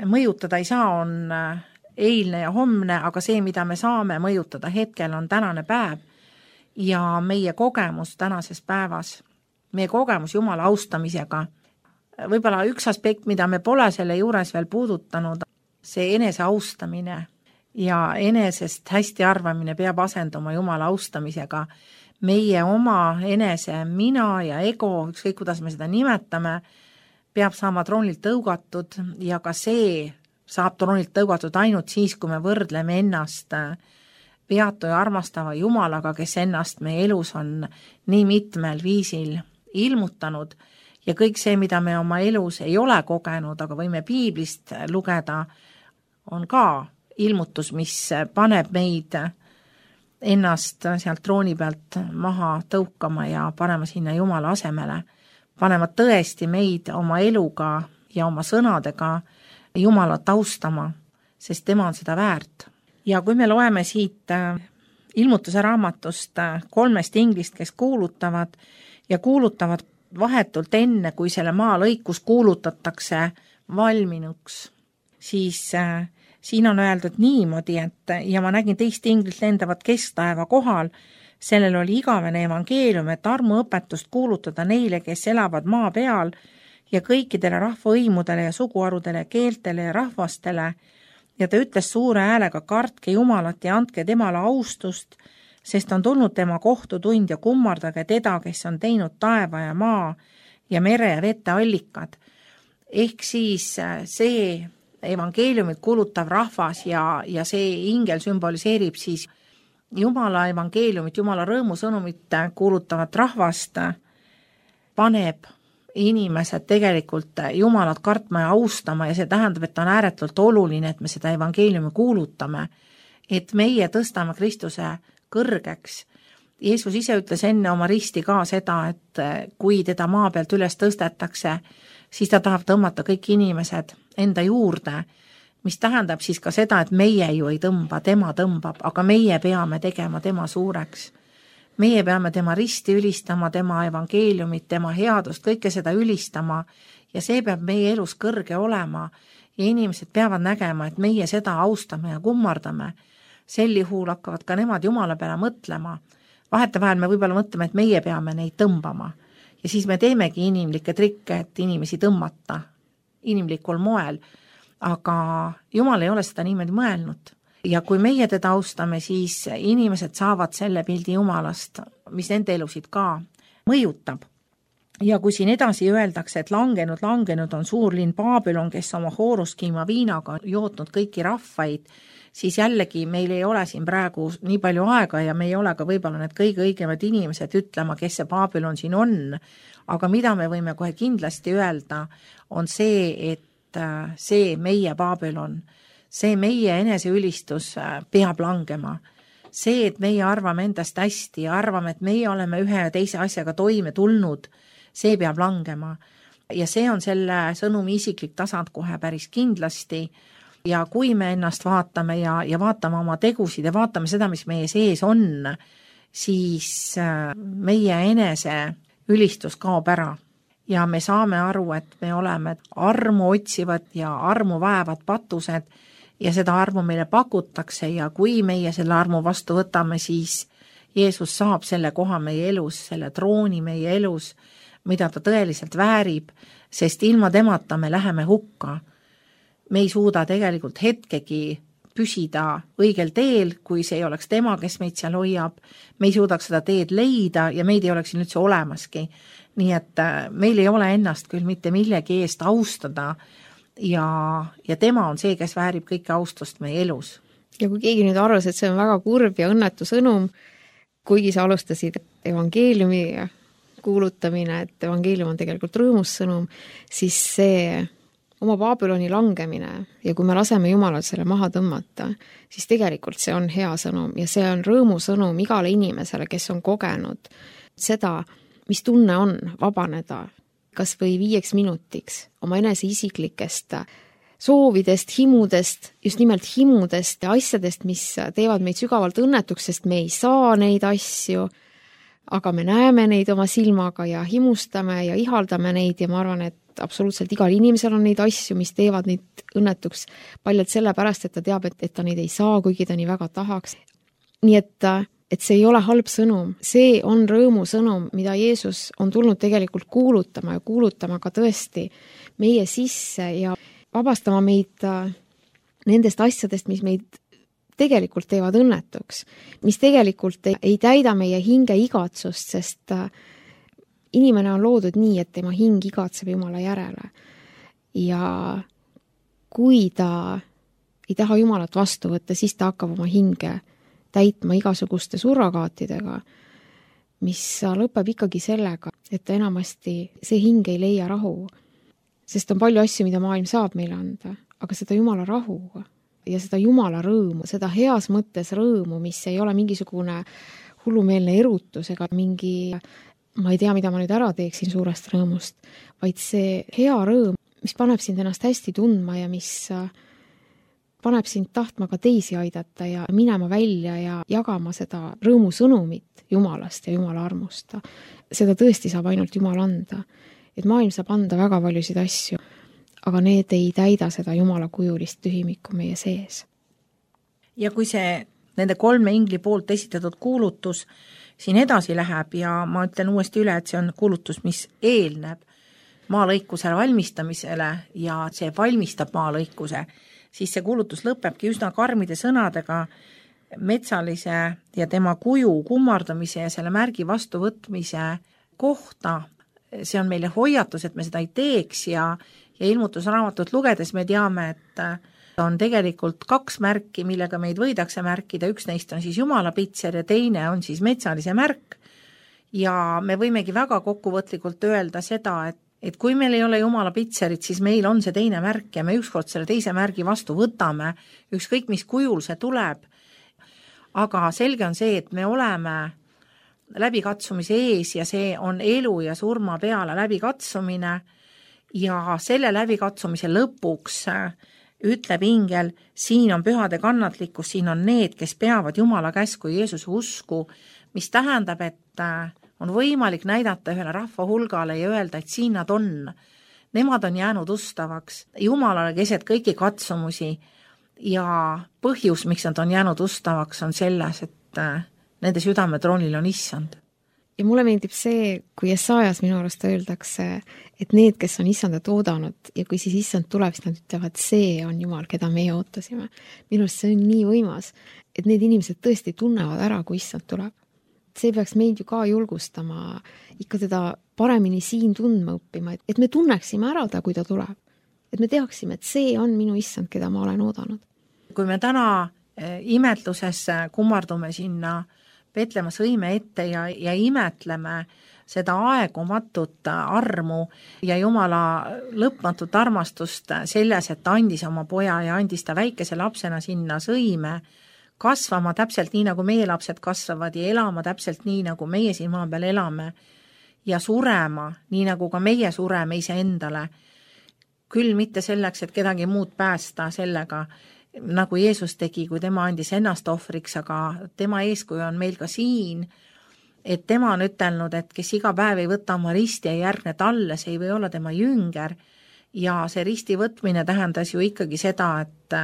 B: mõjutada ei saa, on eilne ja homne, aga see, mida me saame mõjutada hetkel, on tänane päev ja meie kogemus tänases päevas, meie kogemus Jumala austamisega. Võib-olla üks aspekt, mida me pole selle juures veel puudutanud, see enese austamine ja enesest hästi arvamine peab asenduma Jumala austamisega. Meie oma enese mina ja ego, ükskõik kuidas me seda nimetame, peab saama troonilt tõugatud ja ka see saab troonilt tõugatud ainult siis, kui me võrdleme ennast peatu ja armastava Jumalaga, kes ennast meie elus on nii mitmel viisil ilmutanud ja kõik see, mida me oma elus ei ole kogenud, aga võime piiblist lugeda, on ka ilmutus, mis paneb meid ennast sealt trooni pealt maha tõukama ja panema sinna Jumala asemele, panema tõesti meid oma eluga ja oma sõnadega Jumalat austama, sest tema on seda väärt. Ja kui me loeme siit ilmutuse raamatust kolmest inglist, kes kuulutavad ja kuulutavad vahetult enne, kui selle maa lõikus kuulutatakse valminuks, siis siin on öeldud niimoodi, et ja ma nägin teist inglit lendavat kesktaeva kohal, sellel oli igavene evangeelium, et armuõpetust kuulutada neile, kes elavad maa peal ja kõikidele rahvaõimudele ja suguharudele, keeltele ja rahvastele, ja ta ütles suure häälega, kartke Jumalat ja andke temale austust, sest on tulnud tema kohtutund ja kummardage teda, kes on teinud taeva ja maa ja mere ja vete allikad. Ehk siis see evangeeliumit kuulutav rahvas ja, ja see ingel sümboliseerib siis Jumala evangeeliumit, Jumala rõõmusõnumit kuulutavat rahvast, paneb inimesed tegelikult Jumalat kartma ja austama ja see tähendab, et on ääretult oluline, et me seda evangeeliumi kuulutame, et meie tõstame Kristuse kõrgeks. Jeesus ise ütles enne oma risti ka seda, et kui teda maa pealt üles tõstetakse, siis ta tahab tõmmata kõik inimesed enda juurde, mis tähendab siis ka seda, et meie ju ei tõmba, tema tõmbab, aga meie peame tegema tema suureks. Meie peame tema risti ülistama, tema evangeeliumit, tema headust, kõike seda ülistama ja see peab meie elus kõrge olema ja inimesed peavad nägema, et meie seda austame ja kummardame. Sel juhul hakkavad ka nemad Jumala peale mõtlema. Vahetevahel me võib-olla mõtleme, et meie peame neid tõmbama ja siis me teemegi inimlikke trikke, et inimesi tõmmata inimlikul moel, aga Jumal ei ole seda niimoodi mõelnud. Ja kui meie teda austame, siis inimesed saavad selle pildi Jumalast, mis nende elusid ka mõjutab. Ja kui siin edasi öeldakse, et langenud, langenud on suurlinn Babylon, kes oma hooruskiima viinaga on jootnud kõiki rahvaid, siis jällegi meil ei ole siin praegu nii palju aega ja me ei ole ka võib-olla need kõige õigemad inimesed ütlema, kes see Babylon siin on. Aga mida me võime kohe kindlasti öelda, on see, et see meie Babylon, see meie eneseülistus peab langema. See, et meie arvame endast hästi ja arvame, et meie oleme ühe ja teise asjaga toime tulnud, see peab langema. Ja see on selle sõnumi isiklik tasand kohe päris kindlasti. Ja kui me ennast vaatame ja, ja vaatame oma tegusid ja vaatame seda, mis meie sees on, siis meie enese ülistus kaob ära. Ja me saame aru, et me oleme armu otsivad ja armu vaevad patused ja seda armu meile pakutakse ja kui meie selle armu vastu võtame, siis Jeesus saab selle koha meie elus, selle trooni meie elus, mida ta tõeliselt väärib, sest ilma temata me läheme hukka. Me ei suuda tegelikult hetkegi püsida õigel teel, kui see ei oleks tema, kes meid seal hoiab. Me ei suudaks seda teed leida ja meid ei oleks siin üldse olemaski. Nii et meil ei ole ennast küll mitte millegi eest austada ja, ja tema on see, kes väärib kõike austust meie elus.
C: Ja kui keegi nüüd arvas, et see on väga kurb ja õnnetu sõnum, kuigi sa alustasid evangeeliumi kuulutamine, et evangeelium on tegelikult rõõmus sõnum, siis see oma Babyloni langemine ja kui me laseme Jumalal selle maha tõmmata, siis tegelikult see on hea sõnum ja see on rõõmusõnum igale inimesele, kes on kogenud seda, mis tunne on vabaneda kas või viieks minutiks oma enese isiklikest soovidest, himudest, just nimelt himudest ja asjadest, mis teevad meid sügavalt õnnetuks, sest me ei saa neid asju, aga me näeme neid oma silmaga ja himustame ja ihaldame neid ja ma arvan, et absoluutselt igal inimesel on neid asju, mis teevad neid õnnetuks paljalt sellepärast, et ta teab, et, et ta neid ei saa, kuigi ta nii väga tahaks. Nii et, et see ei ole halb sõnum, see on rõõmu sõnum, mida Jeesus on tulnud tegelikult kuulutama ja kuulutama ka tõesti meie sisse ja vabastama meid nendest asjadest, mis meid tegelikult teevad õnnetuks, mis tegelikult ei, ei täida meie hinge igatsust, sest inimene on loodud nii, et tema hing igatseb Jumala järele. Ja kui ta ei taha Jumalat vastu võtta, siis ta hakkab oma hinge täitma igasuguste surrogaatidega, mis lõpeb ikkagi sellega, et ta enamasti see hing ei leia rahu. Sest on palju asju, mida maailm saab meile anda, aga seda Jumala rahu ja seda Jumala rõõmu, seda heas mõttes rõõmu, mis ei ole mingisugune hullumeelne erutus ega mingi, ma ei tea, mida ma nüüd ära teeksin suurest rõõmust, vaid see hea rõõm, mis paneb sind ennast hästi tundma ja mis paneb sind tahtma ka teisi aidata ja minema välja ja jagama seda rõõmu sõnumit Jumalast ja Jumala armust. Seda tõesti saab ainult Jumal anda. Et maailm saab anda väga paljusid asju, aga need ei täida seda Jumala kujulist tühimikku meie sees.
B: Ja kui see nende kolme ingli poolt esitatud kuulutus siin edasi läheb ja ma ütlen uuesti üle, et see on kuulutus, mis eelneb maalõikusele valmistamisele ja see valmistab maalõikuse, siis see kuulutus lõpebki üsna karmide sõnadega metsalise ja tema kuju kummardamise ja selle märgi vastuvõtmise kohta. See on meile hoiatus, et me seda ei teeks ja, ja ilmutusraamatut lugedes me teame, et on tegelikult kaks märki, millega meid võidakse märkida, üks neist on siis Jumala pitser ja teine on siis metsalise märk ja me võimegi väga kokkuvõtlikult öelda seda, et, et kui meil ei ole Jumala pitserit, siis meil on see teine märk ja me ükskord selle teise märgi vastu võtame, ükskõik mis kujul see tuleb, aga selge on see, et me oleme läbikatsumise ees ja see on elu ja surma peale läbikatsumine ja selle läbikatsumise lõpuks ütleb ingel, siin on pühade kannatlikkus, siin on need, kes peavad Jumala käsku Jeesuse usku, mis tähendab, et on võimalik näidata ühele rahva hulgale ja öelda, et siin nad on. Nemad on jäänud ustavaks Jumalale keset kõiki katsumusi ja põhjus, miks nad on jäänud ustavaks, on selles, et nende südametroonil on issand.
C: Ja mulle meeldib see, kui Jesajas minu arust öeldakse, et need, kes on issandat oodanud ja kui siis issand tuleb, siis nad ütlevad, see on Jumal, keda meie ootasime. Minu arust see on nii võimas, et need inimesed tõesti tunnevad ära, kui issand tuleb. See peaks meid ju ka julgustama ikka teda paremini siin tundma õppima, et me tunneksime ära ta, kui ta tuleb. Et me teaksime, et see on minu issand, keda ma olen oodanud.
B: Kui me täna imetluses kummardume sinna Petlemas õime ette ja, ja imetleme seda aegumatut armu ja Jumala lõpmatut armastust selles, et ta andis oma poja ja andis ta väikese lapsena sinna sõime kasvama täpselt nii, nagu meie lapsed kasvavad ja elama täpselt nii, nagu meie siin maa peal elame ja surema nii, nagu ka meie sureme iseendale. Küll mitte selleks, et kedagi muud päästa sellega, nagu Jeesus tegi, kui tema andis ennast ohvriks, aga tema eeskuju on meil ka siin, et tema on ütelnud, et kes iga päev ei võta oma risti ja järgne talle, see ei või olla tema jünger ja see risti võtmine tähendas ju ikkagi seda, et,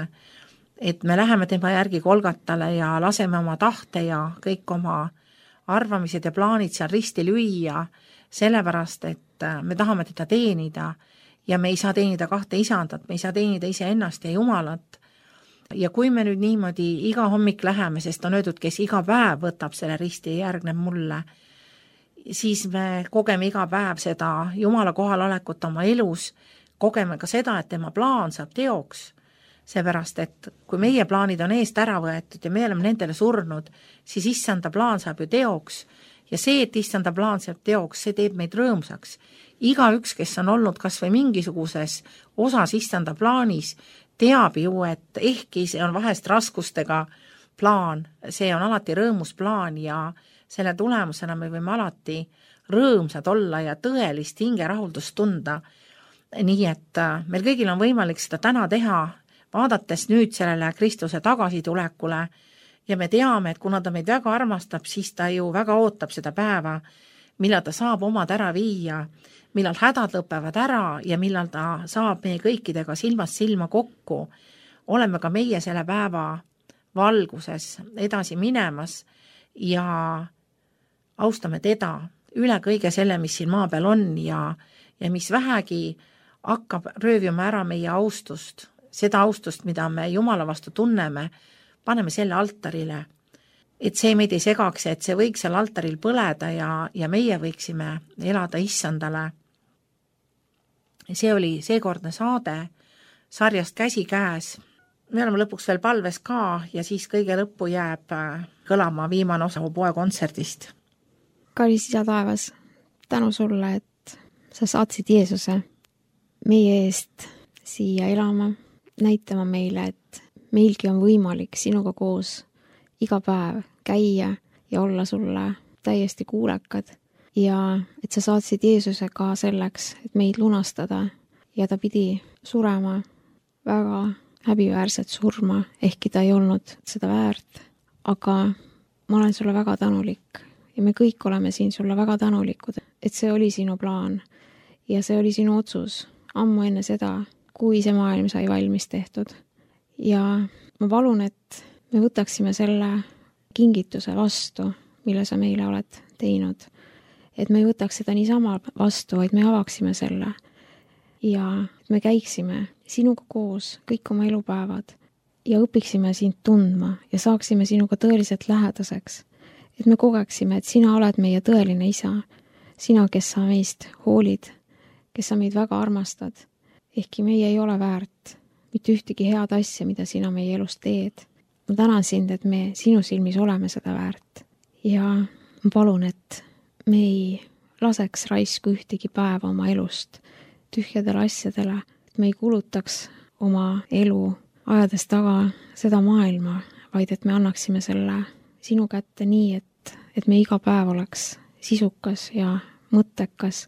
B: et me läheme tema järgi Kolgatale ja laseme oma tahte ja kõik oma arvamised ja plaanid seal risti lüüa, sellepärast et me tahame teda teenida ja me ei saa teenida kahte isandat, me ei saa teenida iseennast ja Jumalat. Ja kui me nüüd niimoodi iga hommik läheme, sest on öeldud, kes iga päev võtab selle risti ja järgneb mulle, siis me kogeme iga päev seda Jumala kohalolekut oma elus, kogeme ka seda, et tema plaan saab teoks. Seepärast, et kui meie plaanid on eest ära võetud ja me oleme nendele surnud, siis issanda plaan saab ju teoks. Ja see, et issanda plaan saab teoks, see teeb meid rõõmsaks. Iga üks, kes on olnud kas või mingisuguses osas issanda plaanis, teab ju, et ehkki see on vahest raskustega plaan, see on alati rõõmus plaan ja selle tulemusena me võime alati rõõmsad olla ja tõelist hingerahuldust tunda. Nii et meil kõigil on võimalik seda täna teha, vaadates nüüd sellele Kristuse tagasitulekule ja me teame, et kuna ta meid väga armastab, siis ta ju väga ootab seda päeva, millal ta saab omad ära viia, millal hädad lõpevad ära ja millal ta saab meie kõikidega silmast silma kokku. Oleme ka meie selle päeva valguses edasi minemas ja austame teda üle kõige selle, mis siin maa peal on ja, ja mis vähegi hakkab röövima ära meie austust, seda austust, mida me Jumala vastu tunneme, paneme selle altarile, et see meid ei segaks, et see võiks seal altaril põleda ja, ja meie võiksime elada issandale. See oli seekordne saade sarjast Käsi käes. Me oleme lõpuks veel palves ka ja siis kõige lõppu jääb kõlama viimane osa poe kontserdist.
C: Kallis isa taevas, tänu sulle, et sa saatsid Jeesuse meie eest siia elama, näitama meile, et meilgi on võimalik sinuga koos iga päev käia ja olla sulle täiesti kuulekad ja et sa saatsid Jeesuse ka selleks, et meid lunastada ja ta pidi surema väga häbiväärset surma, ehkki ta ei olnud seda väärt, aga ma olen sulle väga tänulik ja me kõik oleme siin sulle väga tänulikud, et see oli sinu plaan ja see oli sinu otsus ammu enne seda, kui see maailm sai valmis tehtud. Ja ma palun, et me võtaksime selle kingituse vastu, mille sa meile oled teinud. Et me ei võtaks seda niisama vastu, vaid me avaksime selle. Ja me käiksime sinuga koos kõik oma elupäevad ja õpiksime sind tundma ja saaksime sinuga tõeliselt lähedaseks. Et me kogeksime, et sina oled meie tõeline isa. Sina, kes sa meist hoolid, kes sa meid väga armastad. Ehkki meie ei ole väärt mitte ühtegi head asja, mida sina meie elus teed. Ma tänan sind, et me sinu silmis oleme seda väärt. Ja ma palun, et me ei laseks raisku ühtegi päeva oma elust tühjadele asjadele, et me ei kulutaks oma elu ajades taga seda maailma, vaid et me annaksime selle sinu kätte nii, et, et me iga päev oleks sisukas ja mõttekas,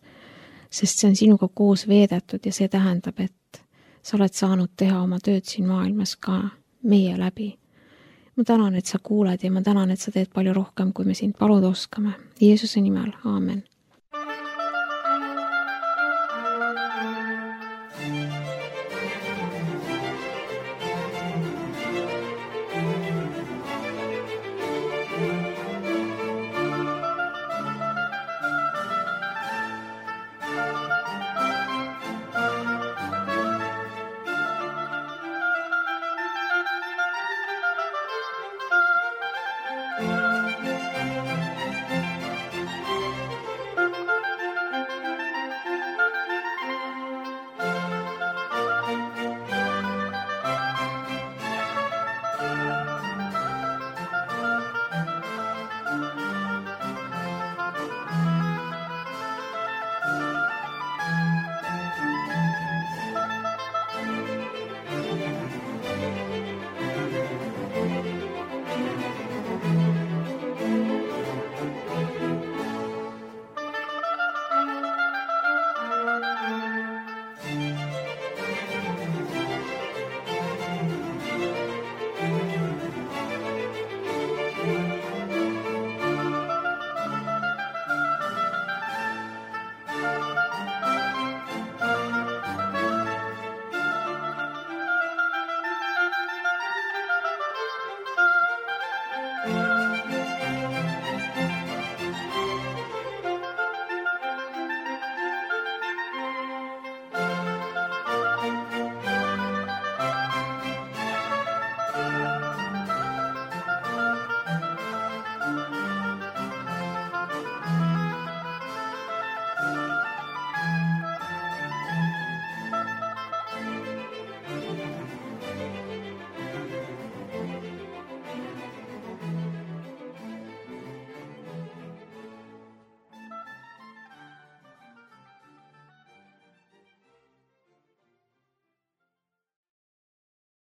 C: sest see on sinuga koos veedetud ja see tähendab, et sa oled saanud teha oma tööd siin maailmas ka meie läbi. Ma tänan, et sa kuuled ja ma tänan, et sa teed palju rohkem, kui me sind paluda oskame. Jeesuse nimel, aamen.